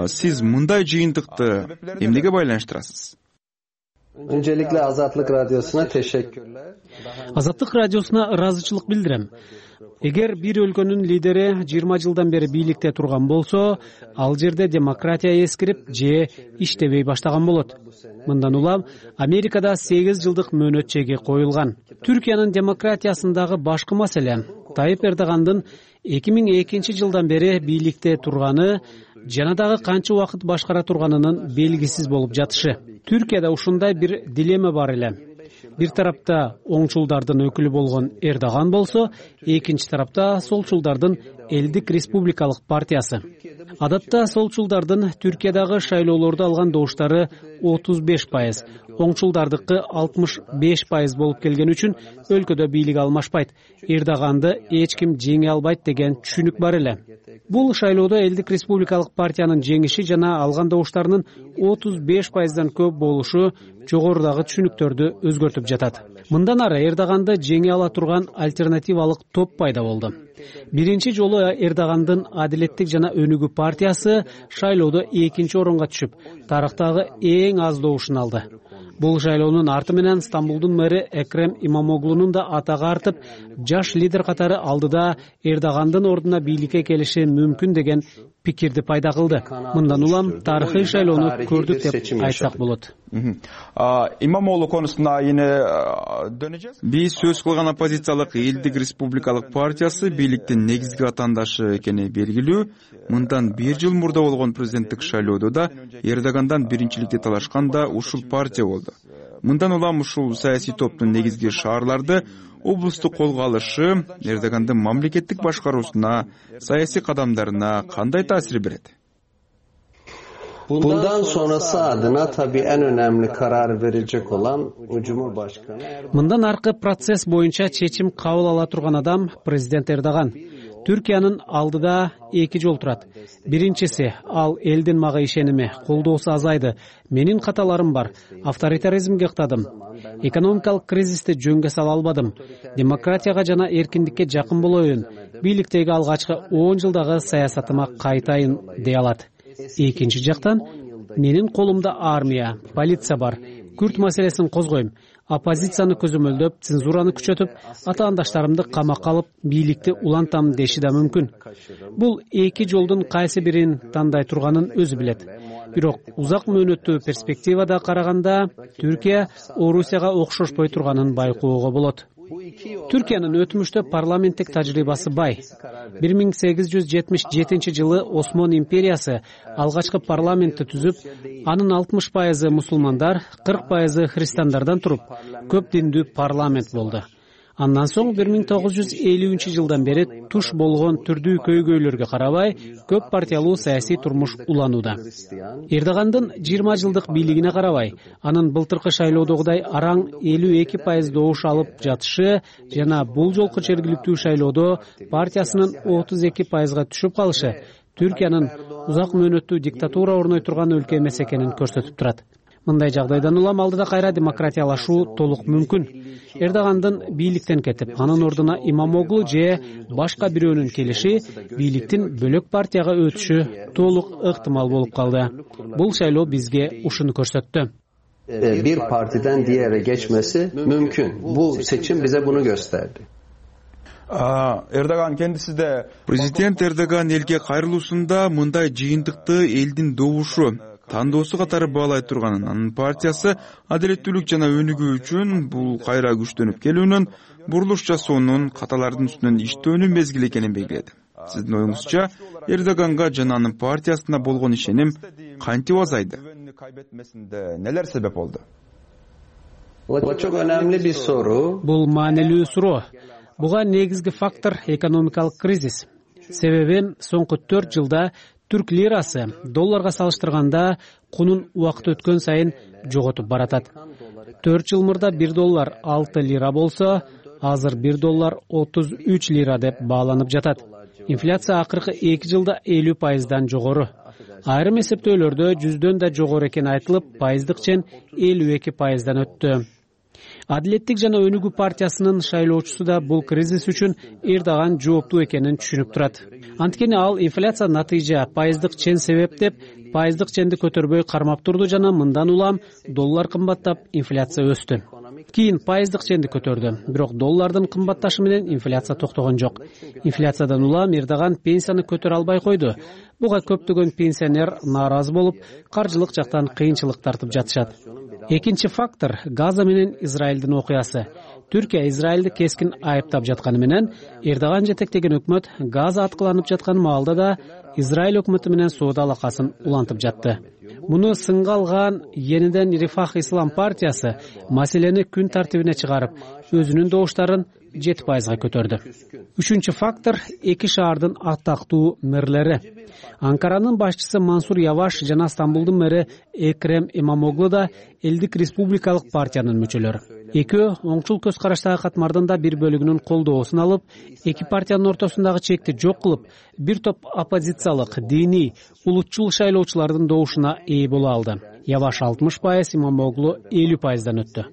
Сиз мындай жыйынтыкты эмнеге байланыштырасыз? Öncelikle Azatlık Radyosu'na teşekkürler. Азаттык радиосуна ыраазычылык билдирем. Эгер бир өлкөнүн лидери жыйырма жылдан бери бийликте турган болсо, ал жерде демократия эскирип же иштебей баштаган болот. Мындан улам Америкада сегиз жылдык мөөнөт чеги коюлган. Түркиянын демократиясындагы башкы маселе Тайип Эрдогандын эки миң экинчи жылдан бери бийликте турганы жана дагы канча убакыт башкара турганынын белгисиз болуп жатышы. Түркияда ушундай бир дилемма бар эле. Бир тарапта оңчулдардын өкүлү болгон Эрдоган болсо, экинчи тарапта солчулдардын Элдик республикалык партиясы. Адатта солчулдардын Түркиядагы шайлоолордо алган добуштары отуз беш пайыз, оңчулдардыкы алтымыш беш пайыз болуп келген үчүн өлкөдө бийлик алмашпайт. Эрдоганды эч ким жеңе албайт деген түшүнүк бар эле. Бул шайлоодо Элдик республикалык партиянын жеңиши жана алган добуштарынын отуз беш пайыздан көп болушу жогорудагы түшүнүктөрдү өзгөртүп жатат. Мындан ары Эрдоганды жеңе ала турган альтернативалык топ пайда болду. Биринчи жолу Эрдогандын Адилеттик жана Өнүгүү партиясы шайлоодо экинчи орунга түшүп, тарыхтагы эң аз добушун алды. Бул шайлоонун арты менен Стамбулдун мэри Экрем Имамоглунун да атагы артып, жаш лидер катары алдыда Эрдогандын ордуна бийликке келиши мүмкүн деген пикирди пайда кылды. Мындан улам тарыхый шайлоону көрдүк деп айтсак болот. Имамоглу конусуна эне дөнөжөбүз. Биз сөз кылган оппозициялык Элдик Республикалык партиясы бийликтин негизги атаандашы экени белгилүү. Мындан бир жыл мурда болгон президенттик шайлоодо да Эрдогандан биринчиликти талашкан да ушул партия болду. Мындан улам ушул саясий топтун негизги шаарларды облусту колго алышы Эрдогандын мамлекеттик башкаруусуна, саясий кадамдарына кандай таасир берет? Bundan sonrası adına tabii en önemli karar verecek olan Cumhurbaşkanı. Мындан аркы процесс боюнча чечим кабыл ала турган адам президент Эрдоган. Түркиянын алдыда эки жол турат. Биринчиси, ал элдин мага ишеними, колдоосу азайды. Менин каталарым бар. Авторитаризмге ыктадым. Экономикалык кризисти жөнгө сала албадым. Демократияга жана эркиндикке жакын болоюн. Бийликтеги алгачкы он жылдагы саясатыма кайтайын дей алат. Экинчи жактан, менин колумда армия, полиция бар. Күрд маселесин козгойм. Оппозицияны көзөмөлдөп, цензураны күчөтүп, атаандаштарымды камакка алып, бийликти улантам деши да мүмкүн. Бул эки жолдун кайсы бирин тандай турганын өзү билет. Бирок узак мөөнөттүү перспективада караганда, Түркия Орусияга окшошпой турганын байкоого болот. Түркиянын өтмүштө парламенттик тажрыйбасы бай. бир миң сегиз жүз жетимиш жетинчи жылы Осмон империясы алгачкы парламентти түзүп, анын алтымыш пайызы мусулмандар, кырк пайызы христиандардан туруп, көп диндүү парламент болду. Андан соң бир миң тогуз жүз элүүнчү жылдан бери туш болгон түрдүү көйгөйлөргө карабай, көп партиялуу саясий турмуш уланууда. Эрдогандын жыйырма жылдык бийлигине карабай, анын былтыркы шайлоодогудай араң элүү эки пайыз добуш алып жатышы жана бул жолку жергиликтүү шайлоодо партиясынын отуз эки пайызга түшүп калышы Түркиянын узак мөөнөттүү диктатура орной турган өлкө эмес экенин көрсөтүп турат. Мындай жагдайдан улам алдыда кайра демократиялашуу толук мүмкүн. Эрдогандын бийликтен кетип, анын ордуна Имамоглу же башка бирөөнүн келиши бийликтин бөлөк партияга өтүшү толук ыктымал болуп калды. Бул шайлоо бизге ушуну көрсөттү. Bir partiden diğere geçmesi mümkün. Bu seçim bize bunu gösterdi. Эрдоган kendisi de Президент Эрдоган элге кайрылуусунда мындай жыйынтыкты элдин добушу тандоосу катары баалай турганын, анын партиясы адилеттүүлүк жана өнүгүү үчүн бул кайра күчтөнүп келүүнүн, бурулуш жасоонун, каталардын үстүнөн иштөөнүн мезгили экенин белгиледи. Сиздин оюңузча, Эрдоганга жана анын партиясына болгон ишеним кантип азайды? Нелер себеп болду? Bu çok önemli bir soru. Бул маанилүү суроо. Буга негизги фактор экономикалык кризис. Себеби соңку төрт жылда түрк лирасы долларга салыштырганда кунун убакыт өткөн сайын жоготуп баратат. төрт жыл мурда бир доллар алты лира болсо, азыр бир доллар отуз үч лира деп бааланып жатат. Инфляция акыркы эки жылда элүү пайыздан жогору. Айрым эсептөөлөрдө жүздөн да жогору экен айтылып, пайыздык чен элүү эки пайыздан өттү. Адилеттик жана өнүгүү партиясынын шайлоочусу да бул кризис үчүн Эрдоган жооптуу экенин түшүнүп турат. Анткени ал инфляция натыйжа, пайыздык чен себеп деп, пайыздык ченди көтөрбөй кармап турду жана мындан улам доллар кымбаттап, инфляция өстү. Кийин пайыздык ченди көтөрдү, бирок доллардын кымбатташы менен инфляция токтогон жок. Инфляциядан улам Эрдоган пенсияны көтөрө албай койду. Буга көптөгөн пенсионер нааразы болуп, каржылык жактан кыйынчылык тартып жатышат. Экинчи фактор — Газа менен Израилдин окуясы. Түркия Израилди кескин айыптап жатканы менен, Эрдоган жетектеген өкмөт Газа аткыланып жаткан маалда да Израиль өкмөтү менен соода алакасын улантып жатты. Муну сынга алган Ениден Рифах Ислам партиясы маселени күн тартибине чыгарып, өзүнүн добуштарын жети пайызга көтөрдү. Үчүнчү фактор — эки шаардын атактуу мэрлери. Анкаранын башчысы Мансур Яваш жана Стамбулдун мэри Экрем Имамоглу да Элдик Республикалык партиянын мүчөлөрү. Экөө оңчул көз караштагы катмардын да бир бөлүгүнүн колдоосун алып, эки партиянын ортосундагы чекти жок кылып, бир топ оппозициялык, диний, улутчул шайлоочулардын добушуна ээ боло алды. Яваш алтымыш пайыз, Имамоглу элүү пайыздан өттү.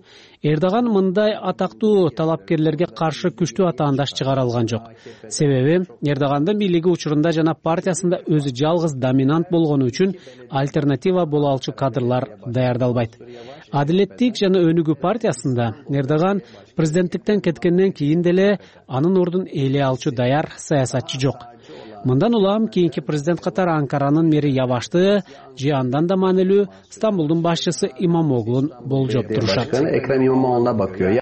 Эрдоган мындай атактуу талапкерлерге каршы күчтүү атаандаш чыгара алган жок. Себеби Эрдогандын бийлиги учурунда жана партиясында өзү жалгыз доминант болгону үчүн альтернатива боло алчу кадрлар даярдалбайт. Адилеттик жана Өнүгүү партиясында Эрдоган президенттиктен кеткенден кийин деле анын ордун ээлей алчу даяр саясатчы жок. Мындан улам кийинки президент катары Анкаранын мэри Явашты же андан да маанилүү Стамбулдун башчысы Имамоглун болжоп турушат. Ekrem İmamoğlu'na bakıyor.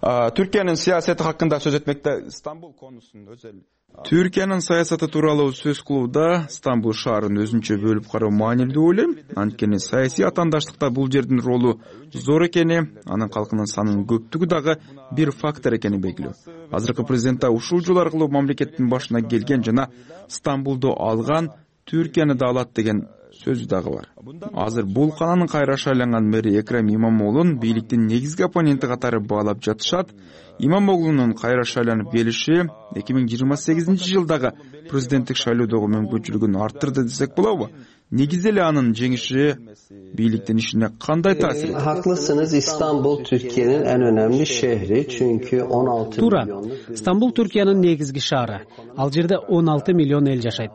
Түркиянын саясаты хакында сөз этмекте Стамбул конусун өзел. Түркиянын саясаты тууралуу сөз кылууда Стамбул шаарын өзүнчө бөлүп кароо маанилүү деп ойлойм. Анткени саясий атаандаштыкта бул жердин ролу зор экени, анын калкынын санынын көптүгү дагы бир фактор экени белгилүү. Азыркы президент ушул жол аркылуу мамлекеттин башына келген жана Стамбулду алган, Түркияны да алат деген сөзү дагы бар. Азыр бул каланын кайраша айланган мэри Экрем Имамоглун бийликтин негизги оппоненти катары баалап жатышат. Имамоглунун кайраша айланып келиши эки миң жыйырма сегизинчи жылдагы президенттик шайлоодогу мүмкүнчүлүгүн арттырды десек болобу? Негизи эле анын жеңиши бийликтин ишине кандай таасир этти? Haklısınız, İstanbul Türkiye'nin en önemli şehri çünkü on altı Туура. Стамбул Түркиянын негизги шаары. Ал жерде он алты миллион эл жашайт.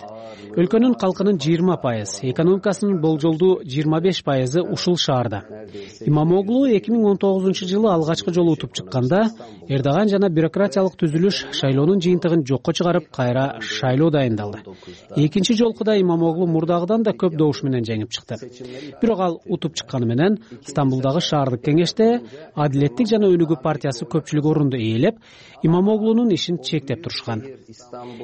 Өлкөнүн калкынын жыйырма пайыз, экономикасынын болжолдуу жыйырма беш пайызы ушул шаарда. Имамоглу эки миң он тогузунчу жылы алгачкы жолу утуп чыкканда, Эрдоган жана бюрократиялык түзүлүш шайлоонун жыйынтыгын жокко чыгарып, кайра шайлоо дайындалды. Экинчи жолкуда Имамоглу мурдагыдан да көп добуш менен жеңип чыкты. Бирок ал утуп чыкканы менен Стамбулдагы шаардык кеңеште Адилеттик жана Өнүгүү партиясы көпчүлүк орунду ээлеп, Имамоглунун ишин чектеп турушкан.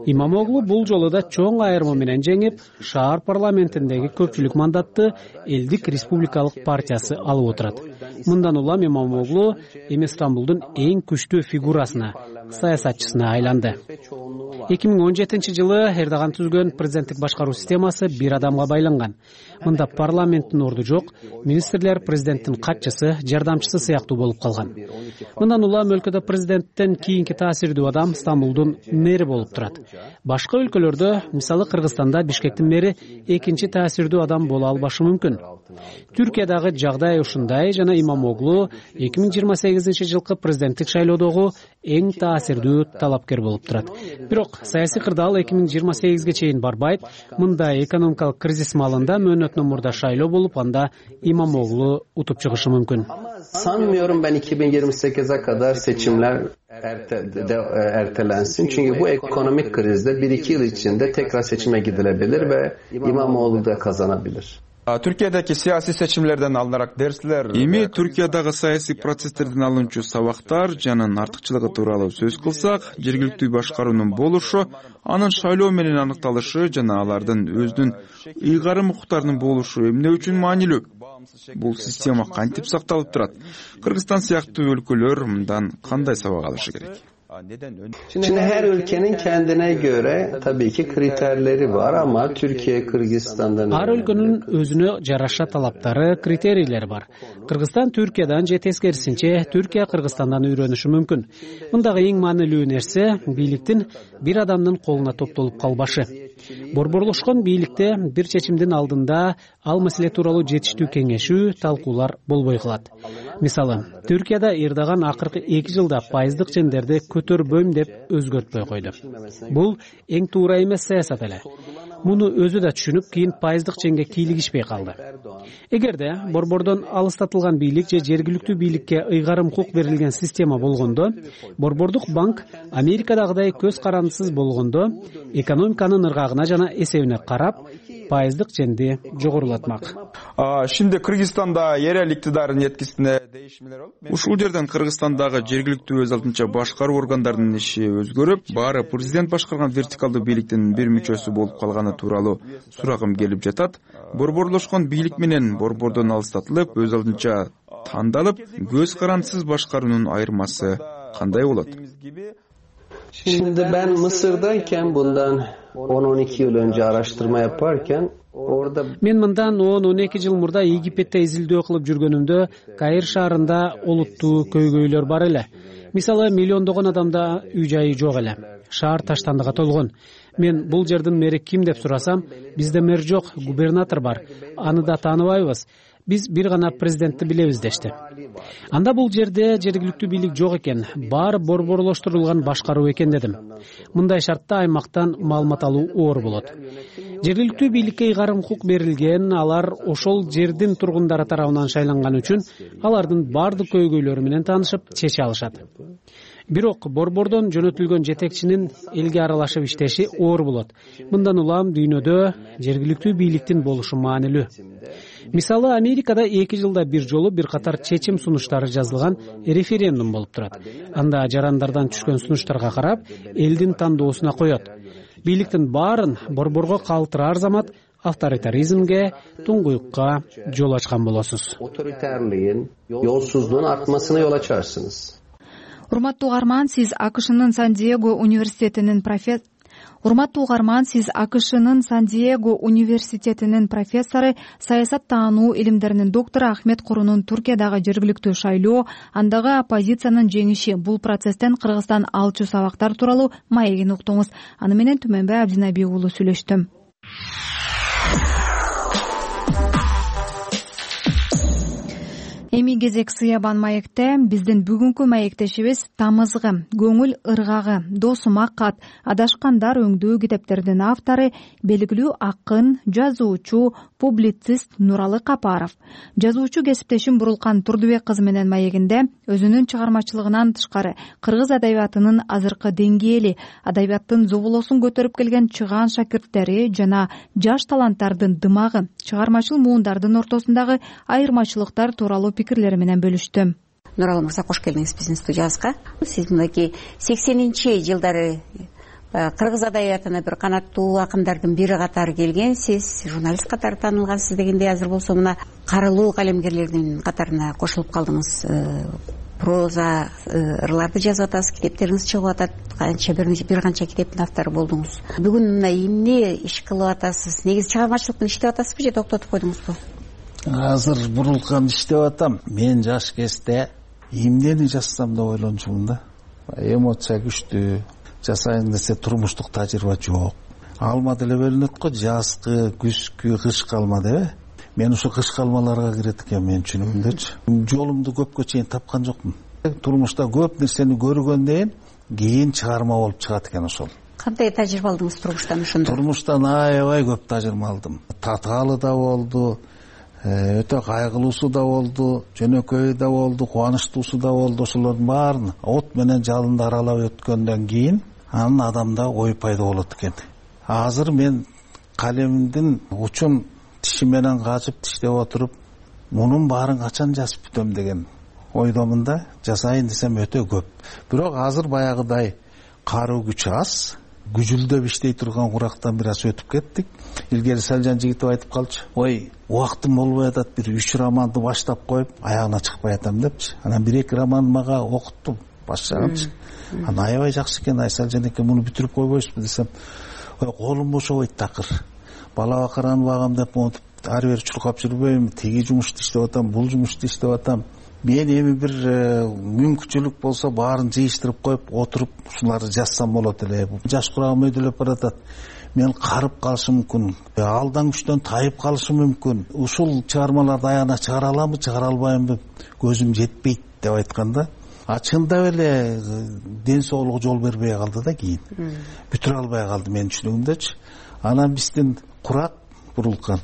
Имамоглу бул жолу да чоң айырма менен жеңип, шаар парламентиндеги көпчүлүк мандатты Элдик республикалык партиясы алып отурат. Мындан улам Имамоглу эми Стамбулдун эң күчтүү фигурасына, саясатчысына айланды. эки миң он жетинчи жылы Эрдоган түзгөн президенттик башкаруу системасы бир адамга байланган. Мында парламенттин орду жок, министрлер президенттин катчысы, жардамчысы сыяктуу болуп калган. Мындан улам өлкөдө президенттен кийинки таасирдүү адам Стамбулдун мэри болуп турат. Башка өлкөлөрдө, мисалы Кыргызстанда Бишкектин мэри экинчи таасирдүү адам боло албашы мүмкүн. Түркиядагы жагдай ушундай жана Имамоглу эки миң жыйырма сегизинчи жылкы президенттик шайлоодогу эң таасирдүү талапкер болуп турат. Бирок саясий кырдаал эки миң жыйырма сегизге чейин барбайт. Мындай экономикалык кризис маалында мөөнөтүнөн мурда шайлоо болуп, анда Имамоглу утуп чыгышы мүмкүн. Sanmıyorum ben iki bin yirmi sekize kadar seçimler erte, de, ertelensin. Çünkü bu ekonomik krizde bir iki yıl içinde tekrar seçime gidilebilir ve İmamoğlu da kazanabilir. Түркиядagi саясий seçimlerden alınarak dersler. Эми Түркиядагы саясий процесстерден алынчу сабактар жана артыкчылыгы тууралуу сөз кылсак, жергиликтүү башкаруунун болушу, анын шайлоо менен аныкталышы жана алардын өзүнүн ыйгарым укуктарынын болушу эмне үчүн маанилүү? Бул система кантип сакталып турат? Кыргызстан сыяктуу өлкөлөр мындан кандай сабак алышы керек? Şimdi her ülkenin kendine göre tabii ki kriterleri var ama Türkiye Kırgızistan'dan Ар өлкөнүн өзүнө жараша талаптары, критерийлери бар. Кыргызстан Түркиядан же тескерисинче Түркия Кыргызстандан үйрөнүшү мүмкүн. Мындагы эң маанилүү нерсе бийликтин бир адамдын колуна топтолуп калбашы. Борборлошкон бийликте бир чечимдин алдында ал маселе тууралуу жетиштүү кеңешүү, талкуулар болбой калат. Мисалы, Түркияда Эрдоган акыркы эки жылда пайыздык чендерди көтөрбөйм деп өзгөртпөй койду. Бул эң туура эмес саясат эле. Муну өзү да түшүнүп, кийин пайыздык ченге кийлигишпей калды. Эгерде борбордон алыстатылган бийлик же жергиликтүү бийликке ыйгарым укук берилген система болгондо, борбордук банк Америкадагыдай көз карандысыз болгондо, экономиканын ыргагына жана эсебине карап, пайыздык ченди жогорулатмак. Şimdi Kırgızistan'da yerel iktidarın yetkisine değişmeler olup, ушул жерден Кыргызстандагы жергиликтүү өз алдынча башкаруу органдарынын иши өзгөрүп, баары президент башкарган вертикалдуу бийликтин бир мүчөсү болуп калганы тууралуу сурагым келип жатат. Борборлошкон бийлик менен борбордон алыстатылып, өз алдынча тандалып, көз карандысыз башкаруунун айырмасы кандай болот? Şimdi ben Mısır'dayken bundan on on iki yıl önce araştırma yaparken orada Мен мындан он он эки жыл мурда Египетте изилдөө кылып жүргөнүмдө Каир шаарында олуттуу көйгөйлөр бар эле. Мисалы, миллиондогон адамда үй жайы жок эле. Шаар таштандыга толгон. Мен бул жердин мэри ким деп сурасам, бизде мэр жок, губернатор бар. Аны да тааныбайбыз. биз бир гана президентти билебиз дешти. Анда бул жерде жергиликтүү бийлик жок экен, баары борборлоштурулган башкаруу экен дедим. Мындай шартта аймактан маалымат алуу оор болот. Жергиликтүү бийликке ыйгарым укук берилген, алар ошол жердин тургундары тарабынан шайланган үчүн алардын баардык көйгөйлөрү менен таанышып чече алышат. Бирок борбордон жөнөтүлгөн жетекчинин элге аралашып иштеши оор болот. Мындан улам дүйнөдө жергиликтүү бийликтин болушу маанилүү. Мисалы, Америкада эки жылда бир жолу бир катар чечим сунуштары жазылган референдум болуп турат. Анда жарандардан түшкөн сунуштарга карап, элдин тандоосуна коет. Бийликтин баарын борборго калтыраар замат авторитаризмге, туңгуюкка жол ачкан болосуз. Otoriterliğin, yolsuzluğun artmasına yol açarsınız. Урматтуу угарман, сиз АКШнын Сан-Диего университетинин профессор Урматтуу угарман, сиз АКШнын Сан-Диего университетинин профессору, саясат таануу илимдеринин доктору Ахмет Курунун Туркиядагы жергиликтүү шайлоо, андагы оппозициянын жеңиши, бул процесстен Кыргызстан алчу сабактар тууралуу маегин уктуңуз. Аны менен Түмөнбай Абдинаби уулу сүйлөштү. Эми кезек Сыябан маекте. Биздин бүгүнкү маектешибиз Тамызгы, Көңүл ыргагы, Досума кат, Адашкандар өңдүү китептердин автору, белгилүү акын, жазуучу, публицист Нуралы Капаров. Жазуучу кесиптешим Бурулкан Турдубек кызы менен маегинде өзүнүн чыгармачылыгынан тышкары кыргыз адабиятынын азыркы деңгээли, адабияттын зоболосун көтөрүп келген чыгаан шакирттери жана жаш таланттардын дымагы, чыгармачыл муундардын ортосундагы айырмачылыктар тууралуу пикирлери менен бөлүштү. Нуралы мырза, кош келдиңиз биздин студиябызга. Сиз мынакей сексенинчи жылдары кыргыз адабиятына бир канаттуу акындардын бири катары келгенсиз, журналист катары таанылгансыз дегендей, азыр болсо мына карылуу калемгерлердин катарына кошулуп калдыңыз. Проза ырларды жазып атасыз, китептериңиз чыгып атат, канча бир канча китептин автору болдуңуз. Бүгүн мына эмне иш кылып атасыз? Негизи чыгармачылыктын иштеп атасызбы же токтотуп койдуңузбу? Азыр Бурулкан иштеп атам. Мен жаш кезде эмнени жазсам деп ойлончумун да. Эмоция күчтүү, жасайын десе турмуштук тажрыйба жок. Алма деле бөлүнөт го, жазкы, күзкү, кышкы алма деп. Мен ошо кышкы алмаларга кирет экен менин түшүнүгүмдөчү. Жолумду көпкө чейин тапкан жокмун. Турмушта көп нерсени көргөндөн кийин чыгарма болуп чыгат экен ошол. Кандай тажрыйба алдыңыз турмуштан ошондо? Турмуштан аябай көп тажрыйба алдым. Татаалы да болду, өтө кайгылуусу да болду, жөнөкөй да болду, кубанычтуусу да болду. Ошолордун баарын от менен жалынды аралап өткөндөн кийин анын адамда ой пайда болот экен. Азыр мен калемдин учун тиши менен качып тиштеп отуруп, мунун баарын качан жазып бүтөм деген ойдомун да. Жасайын десем өтө көп. Бирок азыр баягыдай каруу күч аз, күжүлдөп иштей турган курактан бир аз өтүп кеттик. Илгери Салжан Жигитов айтып калчу: "Ой, убактым болбой атат, бир үч романды баштап коюп, аягына чыкпай атам" депчи. Анан бир эки роман мага окуттум, баштагамчы. Анан аябай жакшы экен, Айсалжан эке, муну бүтүрүп койбойсузбу десем, ой, колум бошобойт такыр. Бала бакараны багам деп монтип ары бери чуркап жүрбөйм, тиги жумушту иштеп атам, бул жумушту иштеп атам. Мен эми бир мүмкүнчүлүк болсо баарын жыйыштырып коюп, отуруп ушуларды жазсам болот эле. Жаш курагым өйдөлөп баратат. Мен карып калышым мүмкүн, алдан күчтөн тайып калышым мүмкүн. Ушул чыгармаларды аягына чыгара аламбы, чыгара албаймбы, көзүм жетпейт деп айтканда, а чындап эле ден соолугу жол бербей калды да кийин. Бүтүрө албай калды менин түшүнүгүмдөчү. Анан биздин курак Бурулкан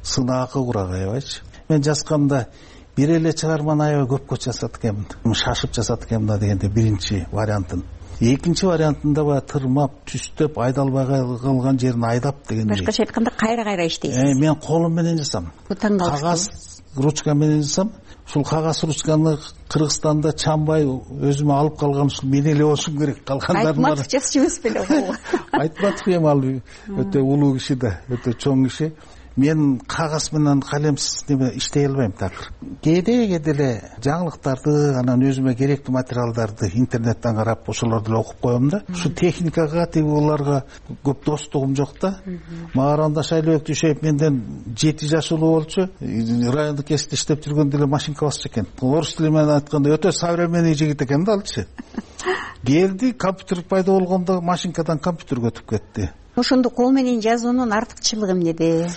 сынаакы курак аябайчы. Мен жазганда бир эле чыгарманы аябай көпкө жазат экенмин. Шашып жазат экенмин да дегенде биринчи вариантын. Экинчи вариантында баягы тырмап, түстөп, айдалбай калган жерин айдап дегендей. Башкача айтканда кайра-кайра иштейсиз. Э, мен колум менен жазам. Кагаз ручка менен жазам. Ушул кагаз ручканы Кыргызстанда чанбай өзүмө алып калган ушул мен эле болушум керек. Калгандардын баары Айтматов жазчу эмес беле? Айтматов эми ал өтө улуу киши да, өтө чоң киши. Мен кагаз менен калемсиз неме иштей албайм такыр. Кээде деле жаңылыктарды, анан өзүмө керектүү материалдарды интернеттен карап, ошолорду эле окуп коем да. Ушу техникага, тиги буларга көп достугум жок да. Мааранда Шайлообек Дүйшөев менден жети жаш улуу болчу. Райондук кесипте иштеп жүргөндө эле машинка басчу экен. Орус тили менен айтканда өтө современный жигит экен да алчы. Келди, компьютер пайда болгондо машинкадан компьютерге өтүп кетти. ошондо кол менен жазуунун артыкчылыгы эмнеде?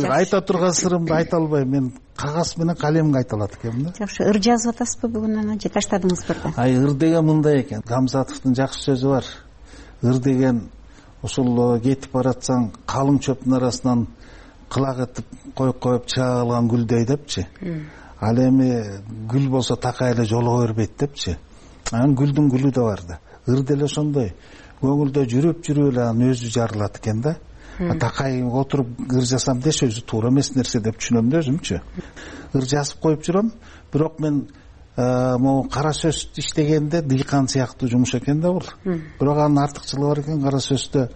Айта турган сырымды айта албайм. Мен кагаз менен калемге айта алат экенмин да. Жакшы, ыр жазып атасызбы бүгүн анан же таштадыңызбы? Ай, ыр деген мындай экен. Гамзатовдун жакшы сөзү бар. Ыр деген ушул кетип баратсаң калың чөптүн арасынан кылак этип коюп коюп чыга калган гүлдөй депчи. Ал эми гүл болсо такай эле жолуго бербейт депчи. Анан гүлдүн гүлү да бар да. Ыр деле ошондой. Көңүлдө жүрүп жүрүп эле анын өзү жарылат экен да. Такай отуруп ыр жазсам десе өзү туура эмес нерсе деп түшүнөм да өзүмчү. Ыр жазып коюп жүрөм, бирок мен могу кара сөз иштегенде дыйкан сыяктуу жумуш экен да бул. Бирок анын артыкчылыгы бар экен. Кара сөздө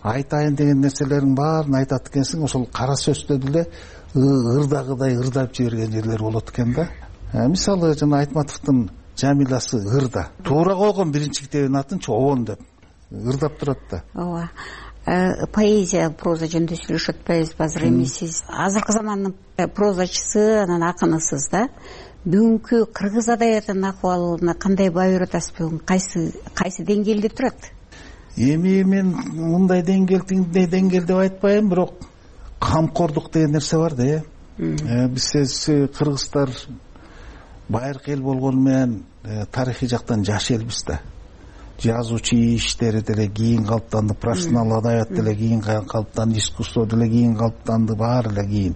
айтайын деген нерселерин баарын айтат экенсиң, ошол кара сөздө деле ырдагыдай ырдап жиберген жерлер болот экен да. Мисалы жана Айтматовдун Жамиласы ырда. Туура койгон биринчи китебинин атын Обон деп ырдап турат да. Ооба. Поэзия, проза жөнүндө сүйлөшүп атпайбызбы азыр? Эми сиз азыркы замандын прозачысы, анан акынысыз да. Бүгүнкү кыргыз адабиятынын акыбалына кандай баа берип атасыз? Кайсы кайсы деңгээлде турат? Эми мен мындай деңгээл, тиңдей деңгээл деп айтпайм, бирок камкордук деген нерсе бар да. Биз кыргыздар байыркы эл болгону менен тарыхый жактан жаш элбиз да. Жазуучу иштери деле кийин калыптанды, профессионал адабият деле кийин калыптанды, искусство деле кийин калыптанды, баары эле кийин.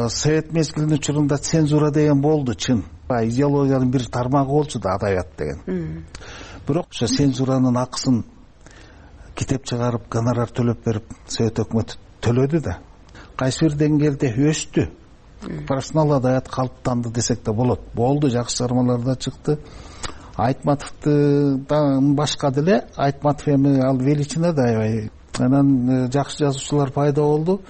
Совет мезгилинин учурунда цензура деген болду, чын. Идеологиянын бир тармагы болчу да адабият деген. Бирок ошо цензуранын акысын китеп чыгарып, гонорар төлөп берип, Совет өкмөтү төлөдү да. Кайсы бир деңгээлде өстү. Профессионал адабият калыптанды десек да болот. Болду, жакшы чыгармалар да чыкты. Айтматовдун башка деле, Айтматов эми ал величина да аябай. Анан жакшы жазуучулар пайда болду.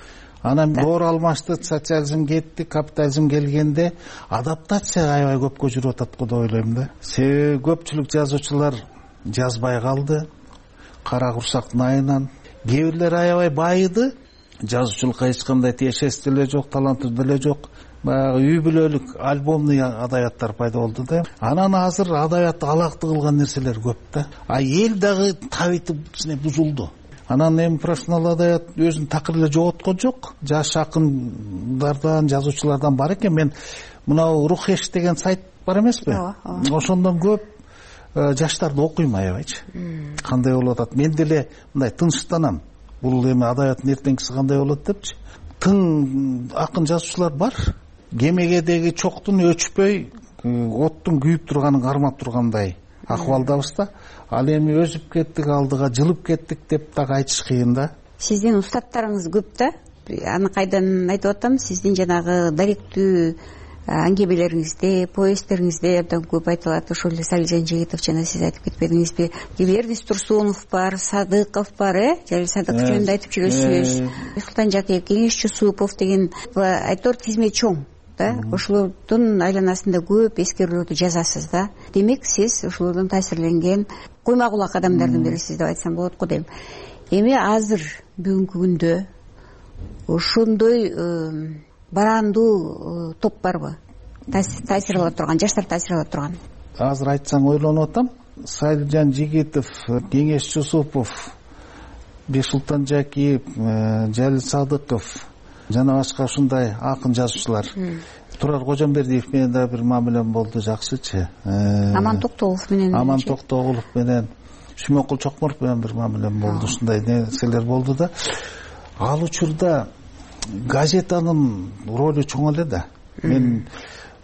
Анан доор алмашты, социализм кетти, капитализм келгенде адаптация аябай көпкө жүрүп атат го деп ойлойм да. Себеби көпчүлүк жазуучулар жазбай калды. Кара курсактын айынан. Кээ бирлер аябай байыды. Жазуучулукка эч кандай тиешеси деле жок, таланты деле жок. Баягы үй бүлөлүк альбомный адабияттар пайда болду да. Анан азыр адабиятты алакты кылган нерселер көп да. А эл дагы табити бузулду. Анан эми профессионал адабият өзүн такыр эле жоготкон жок. Жаш акындардан, жазуучулардан бар экен. Мен мынау Рухеш деген сайт бар эмеспи? Ошондон көп жаштарды окуйм аябайчы. Кандай болуп атат? Мен деле мындай тынчтанам. Бул эми адабияттын эртеңкиси кандай болот депчи. Тың акын жазуучулар бар. Кемегедеги чоктун өчпөй, оттун күйүп турганын кармап тургандай акыбалдабыз да. Ал эми өзүп кеттик, алдыга жылып кеттик деп так айтыш кыйын да. Сиздин устаттарыңыз көп да. Аны кайдан айтып атам? Сиздин жанагы даректүү аңгемелериңизде, повесттериңизде абдан көп айтылат. Ошол эле Салижан Жигитов жана сиз айтып кетпедиңизби? Эрдис Турсунов бар, Садыков бар, э? Жалил Садыков жөнүндө айтып жүрөсүз. Султан Жакиев, Кеңеш Чусупов деген айтор тизме чоң да. Ошолордун айланасында көп эскерүүлөрдү жазасыз да. Демек, сиз ошолордон таасирленген койма кулак адамдардын бирисиз деп айтсам болот го дейм. Эми азыр бүгүнкү күндө ошондой барандуу топ барбы? Таасир ала турган, жаштар таасир ала турган. Азыр айтсаң ойлонуп атам. Салижан Жигитов, Кеңеш Чусупов, Бексултан Жакиев, Жалил Садыков жана башка ушундай акын жазуучулар. Турар Кожомбердиев менен да бир мамилем болду, жакшычы. Аман Токтогулов менен. Аман Токтогулов менен, Шүмөкул Чокморов менен бир мамилем болду. Ушундай нерселер болду да. Ал учурда газетанын ролу чоң эле да. Мен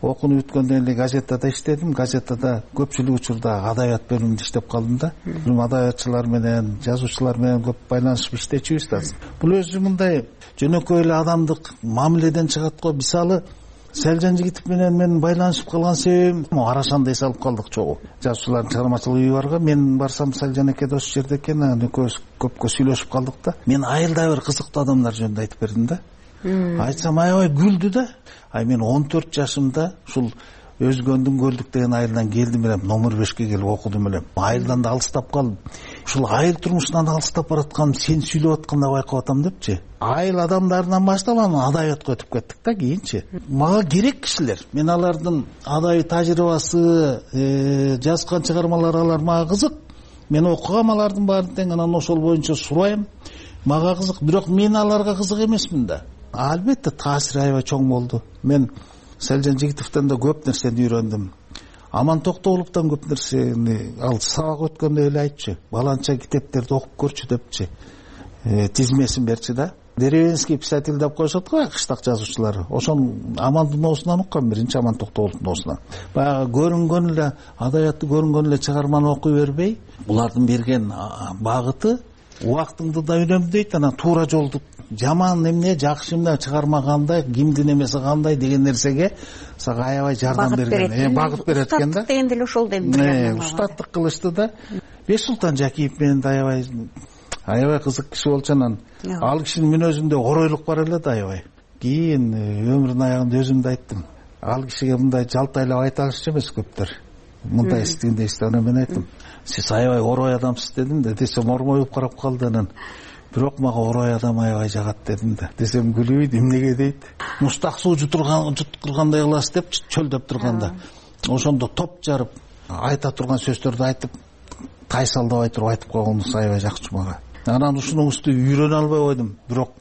окууну бүткөндөн эле газетада иштедим. Газетада көпчүлүк учурда адабият бөлүмүндө иштеп калдым да. Бул адабиятчылар менен, жазуучулар менен көп байланышып иштечүбүз да. Бул өзү мындай жөнөкөй эле адамдык мамиледен чыгат го. Мисалы, Салижан Жигитов менен мен байланышып калган себебим Арашанда эс алып калдык чогуу. Жазуучулардын чыгармачылык үйү барга, мен барсам Салижан эке дос жерде экен, анан экөөбүз көпкө сүйлөшүп калдык да. Мен айылда бир кызыктуу адамдар жөнүндө айтып бердим да. Айтсам аябай күлдү да. Ай мен он төрт жашымда ушул Өзгөндүн Көлдүк деген айылдан келдим элем, номер бешке келип окудум элем. Айылдан да алыстап калдым. Ушул айыл турмушунан алыстап баратканым сен сүйлөп атканда байкап атам депчи. Айыл адамдарынан баштап анан адабиятка өтүп кеттик да кийинчи. Мага керек кишилер. Мен алардын адабий тажрыйбасы, жазган чыгармалары алар мага кызык. мен окугам алардын баарын тең, анан ошол боюнча сурайм. Мага кызык, бирок мен аларга кызык эмесмин да. Албетте таасири аябай чоң болду. Мен Селжан Жигитовдон да көп нерсени үйрөндүм. Аман Токтогуловдон көп нерсени, ал сабак өткөндө эле айтчу, баланча китептерди окуп көрчү депчи. Тизмесин берчи да. Деревенский писатель деп коюшат го, кыштак жазуучулар. Ошон Амандын ноосунан уккан, биринчи Аман Токтогуловдун ноосунан. Баягы көрүнгөн эле адабиятты көрүнгөн эле чыгарманы окуй бербей, булардын берген багыты убактыңды да үнөмдөйт, анан туура жолду, жаман эмне, жакшы эмне, чыгарма кандай, кимдин эмеси кандай деген нерсеге сага аябай жардам берген, багыт берет экен да. Устаттык деген деле ошол дейм. Устаттык кылышты да. Бешсултан Жакиев менен да аябай аябай кызык киши болчу. Анан ал кишинин мүнөзүндө оройлук бар эле да аябай. Кийин өмүрүнүн аягында өзүм да айттым. Ал кишиге мындай жалтайлап айта алышчу эмес көптөр. Мындай истегенде исте, анан мен айттым, сиз аябай орой адамсыз дедим да, десем ормоюп карап калды. Анан бирок мага орой адам аябай жагат дедим да. Десем күлүбөйт, эмнеге дейт. Мустак суу жутурган жуткургандай кыласыз деп чөлдөп турганда. Ошондо топ жарып айта турган сөздөрдү айтып, тайсалдабай туруп айтып койгонуңуз аябай жакчу мага. Анан ушунуңузду үйрөнө албай койдум, бирок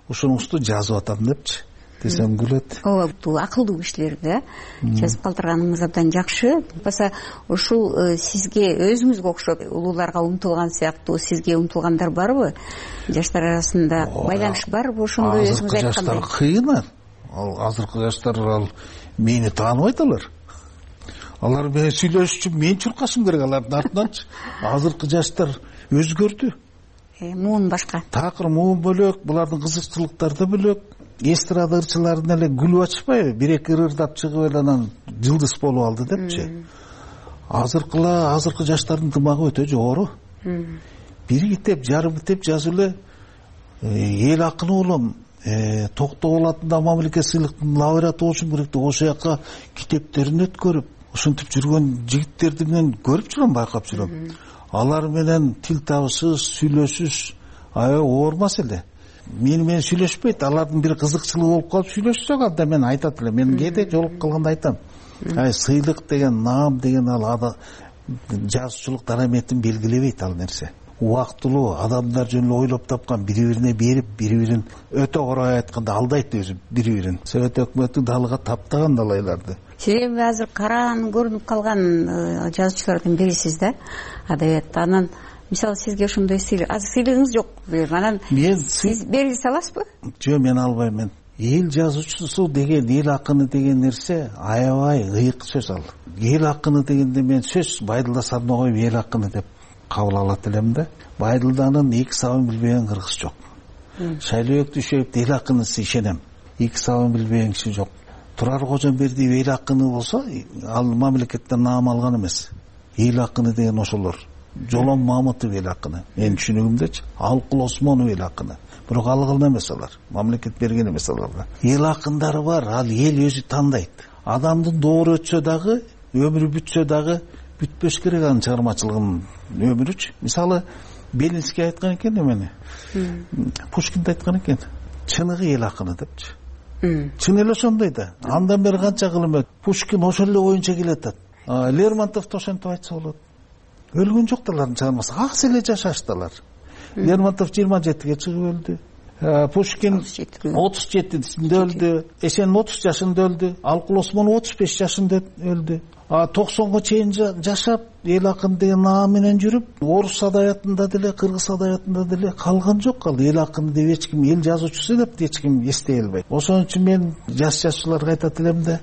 ушунуңузду жазып атам депчи. Десем күлөт. Ооба, бул акылдуу кишилерди жазып калтырганыңыз абдан жакшы. Баса ушул сизге өзүңүзгө окшоп улууларга умтулган сыяктуу сизге умтулгандар барбы? Жаштар арасында байланыш барбы? Ошондой өзүңүз айткандай. Жаштар кыйын. Ал азыркы жаштар ал мени тааныбайт алар. Алар менен сүйлөшүш үчүн мен чуркашым керек алардын артынанчы. Азыркы жаштар өзгөрдү. Муун башка. Такыр муун бөлөк, булардын кызыкчылыктары да бөлөк. Эстрада ырчыларын эле күлүп ачпайбы, бир эки ырдап чыгып эле анан жылдыз болуп алды депчи. Азыркыла, азыркы жаштардын дымагы өтө жогору. Бир китеп, жарым китеп жазып эле эл акыны болом, Токтогул атындагы мамлекет сыйлыктын лауреаты болушум керек деп ошол жака китептерин өткөрүп, ушинтип жүргөн жигиттерди менен көрүп жүрөм, байкап жүрөм. Алар менен тил табышсыз, сүйлөшүш аябай оор маселе. Мени менен сүйлөшпөйт, алардын бир кызыкчылыгы болуп калып сүйлөшсөк анда мен айтат элем. Мен кээде жолугуп калганда айтам. Ай, сыйлык деген, наам деген ал жазуучулук дараметин белгилебейт ал нерсе. Убактылуу адамдар жөнүндө ойлоп тапкан, бири-бирине берип, бири-бирин өтө орой айтканда алдайт өзү бири-бирин. Совет өкмөтү далга таптаган далайларды. Сиз эми азыр караан көрүнүп калган жазуучулардын бирисиз да, адабиятта. Анан мисалы сизге ошондой сыйлык, азыр сыйлыгыңыз жок. Анан сиз бере аласызбы? Жок, мен албайм. Мен эл жазуучусу деген, эл акыны деген нерсе аябай ыйык сөз ал. Эл акыны дегенде мен сөз Байдылда сарына коюп эл акыны деп кабыл алат элем да. Байдылданын эки сабын билбеген кыргыз жок. Шайлообек Дүйшөевдү эл акынысы ишенем. Эки сабын билбеген киши жок. Турар Кожомбердиев эл акыны болсо, ал мамлекеттен наам алган эмес. Эл акыны деген ошолор. Жолон Мамытов эл акыны. Менин түшүнүгүмдөчү. Алкул Осмонов эл акыны. Бирок алган эмес алар. Мамлекет берген эмес аларга. Эл акындары бар, ал эл өзү тандайт. Адамдын доору өтсө дагы, өмүрү бүтсө дагы бүтпөш керек анын чыгармачылыгынын өмүрүчү. Мисалы Белинский айткан экен эмени. Пушкин айткан экен. Чыныгы эл акыны депчи. Чын эле ошондой да. Андан бери канча кылым өтүп, Пушкин ошол эле боюнча келатат. Лермонтов да ошентип айтса болот. Өлгөн жок алардын чыгармасы. Аксы эле жашаштылар. Лермонтов жыйырма жетиге чыгып өлдү. Пушкин отуз жетисинде өлдү. Эсен отуз жашында өлдү. Алкул Осмонов отуз беш жашында өлдү. токсонго чейин жашап, эл акын деген наам менен жүрүп, орус адабиятында деле, кыргыз адабиятында деле калган жок. Ал эл акыны деп эч ким, эл жазуучусу деп эч ким эстей албайт. Ошон үчүн мен жаш жазуучуларга айтат элем да,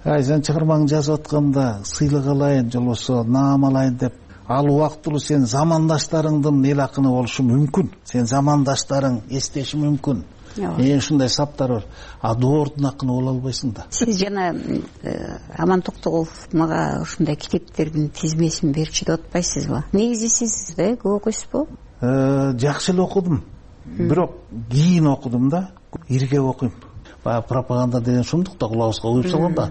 ай, сен чыгармаңды жазып атканда сыйлык алайын, жолбосо наам алайын деп, ал убактылуу сен замандаштарыңдын эл акыны болушу мүмкүн. Сен замандаштарың эстеши мүмкүн. Эң ушундай саптар бар. А доордун акыны боло албайсың да. Сиз жана Аман Токтогулов мага ушундай китептердин тизмесин берчү деп атпайсызбы? Негизи сиз да көп окуйсузбу? Жакшы эле окудум. Бирок кийин окудум да. Иргеп окуйм. Баягы пропаганда деген шундук да кулабызга уюп салган да.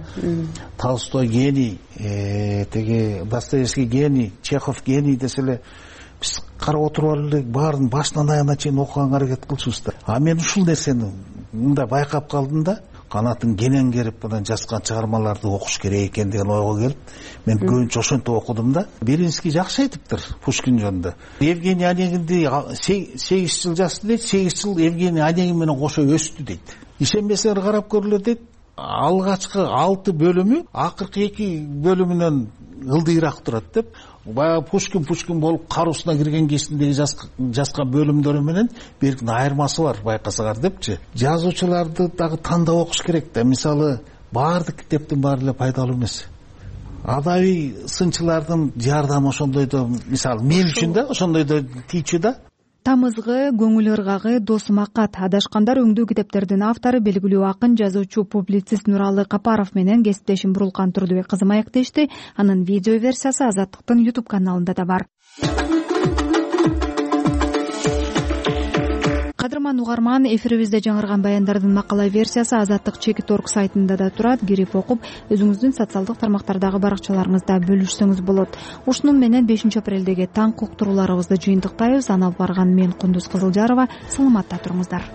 Толстой гений, теги Достоевский гений, Чехов гений деселе биз карап отуруп эле баарын башынан аягына чейин окуганга аракет кылчубуз да. А мен ушул нерсени мындай байкап калдым да. канатын кенен керип мына жазган чыгармаларды окуш керек экен деген ойго келип мен көбүнчө ошентип окудум да. Белинский жакшы айтыптыр Пушкин жөнүндө. Евгений Онегинди сегиз жыл жасты дейт, сегиз жыл Евгений Онегин менен кошо өстү дейт. Ишенбесеңер карап көрүлөр дейт. Алгачкы алты бөлүмү акыркы эки бөлүмүнөн ылдыйраак турат деп. Баягы Пушкин Пушкин болуп кароосуна кирген кезиндеги жазган бөлүмдөрү менен бирдин айырмасы бар байкасаңар депчи. Жазуучуларды дагы тандап окуш керек да. Мисалы, баардык китептин баары эле пайдалуу эмес. Адабий сынчылардын жардамы ошондойдо, мисалы мен үчүн да ошондойдо тийчү да. Тамызгы, көңүл ыргагы, досума кат адашкандар өңдүү китептердин автору белгилүү акын, жазуучу, публицист Нуралы Капаров менен кесиптешим Бурулкан Турдубек кызы маектешти. Анын видео версиясы Азаттыктын YouTube каналында да бар. Кадырман угарман, эфирибизде жаңырган баяндардын макала версиясы Азаттык чекит орг сайтында да турат. Кирип окуп, өзүңүздүн социалдык тармактардагы баракчаларыңызда бөлүшсөңүз болот. Ушунун менен бешинчи апрелдеги таң уктурууларыбызды жыйынтыктайбыз. Аны алып барган мен Кундуз Кызылжарова. Саламатта туруңуздар.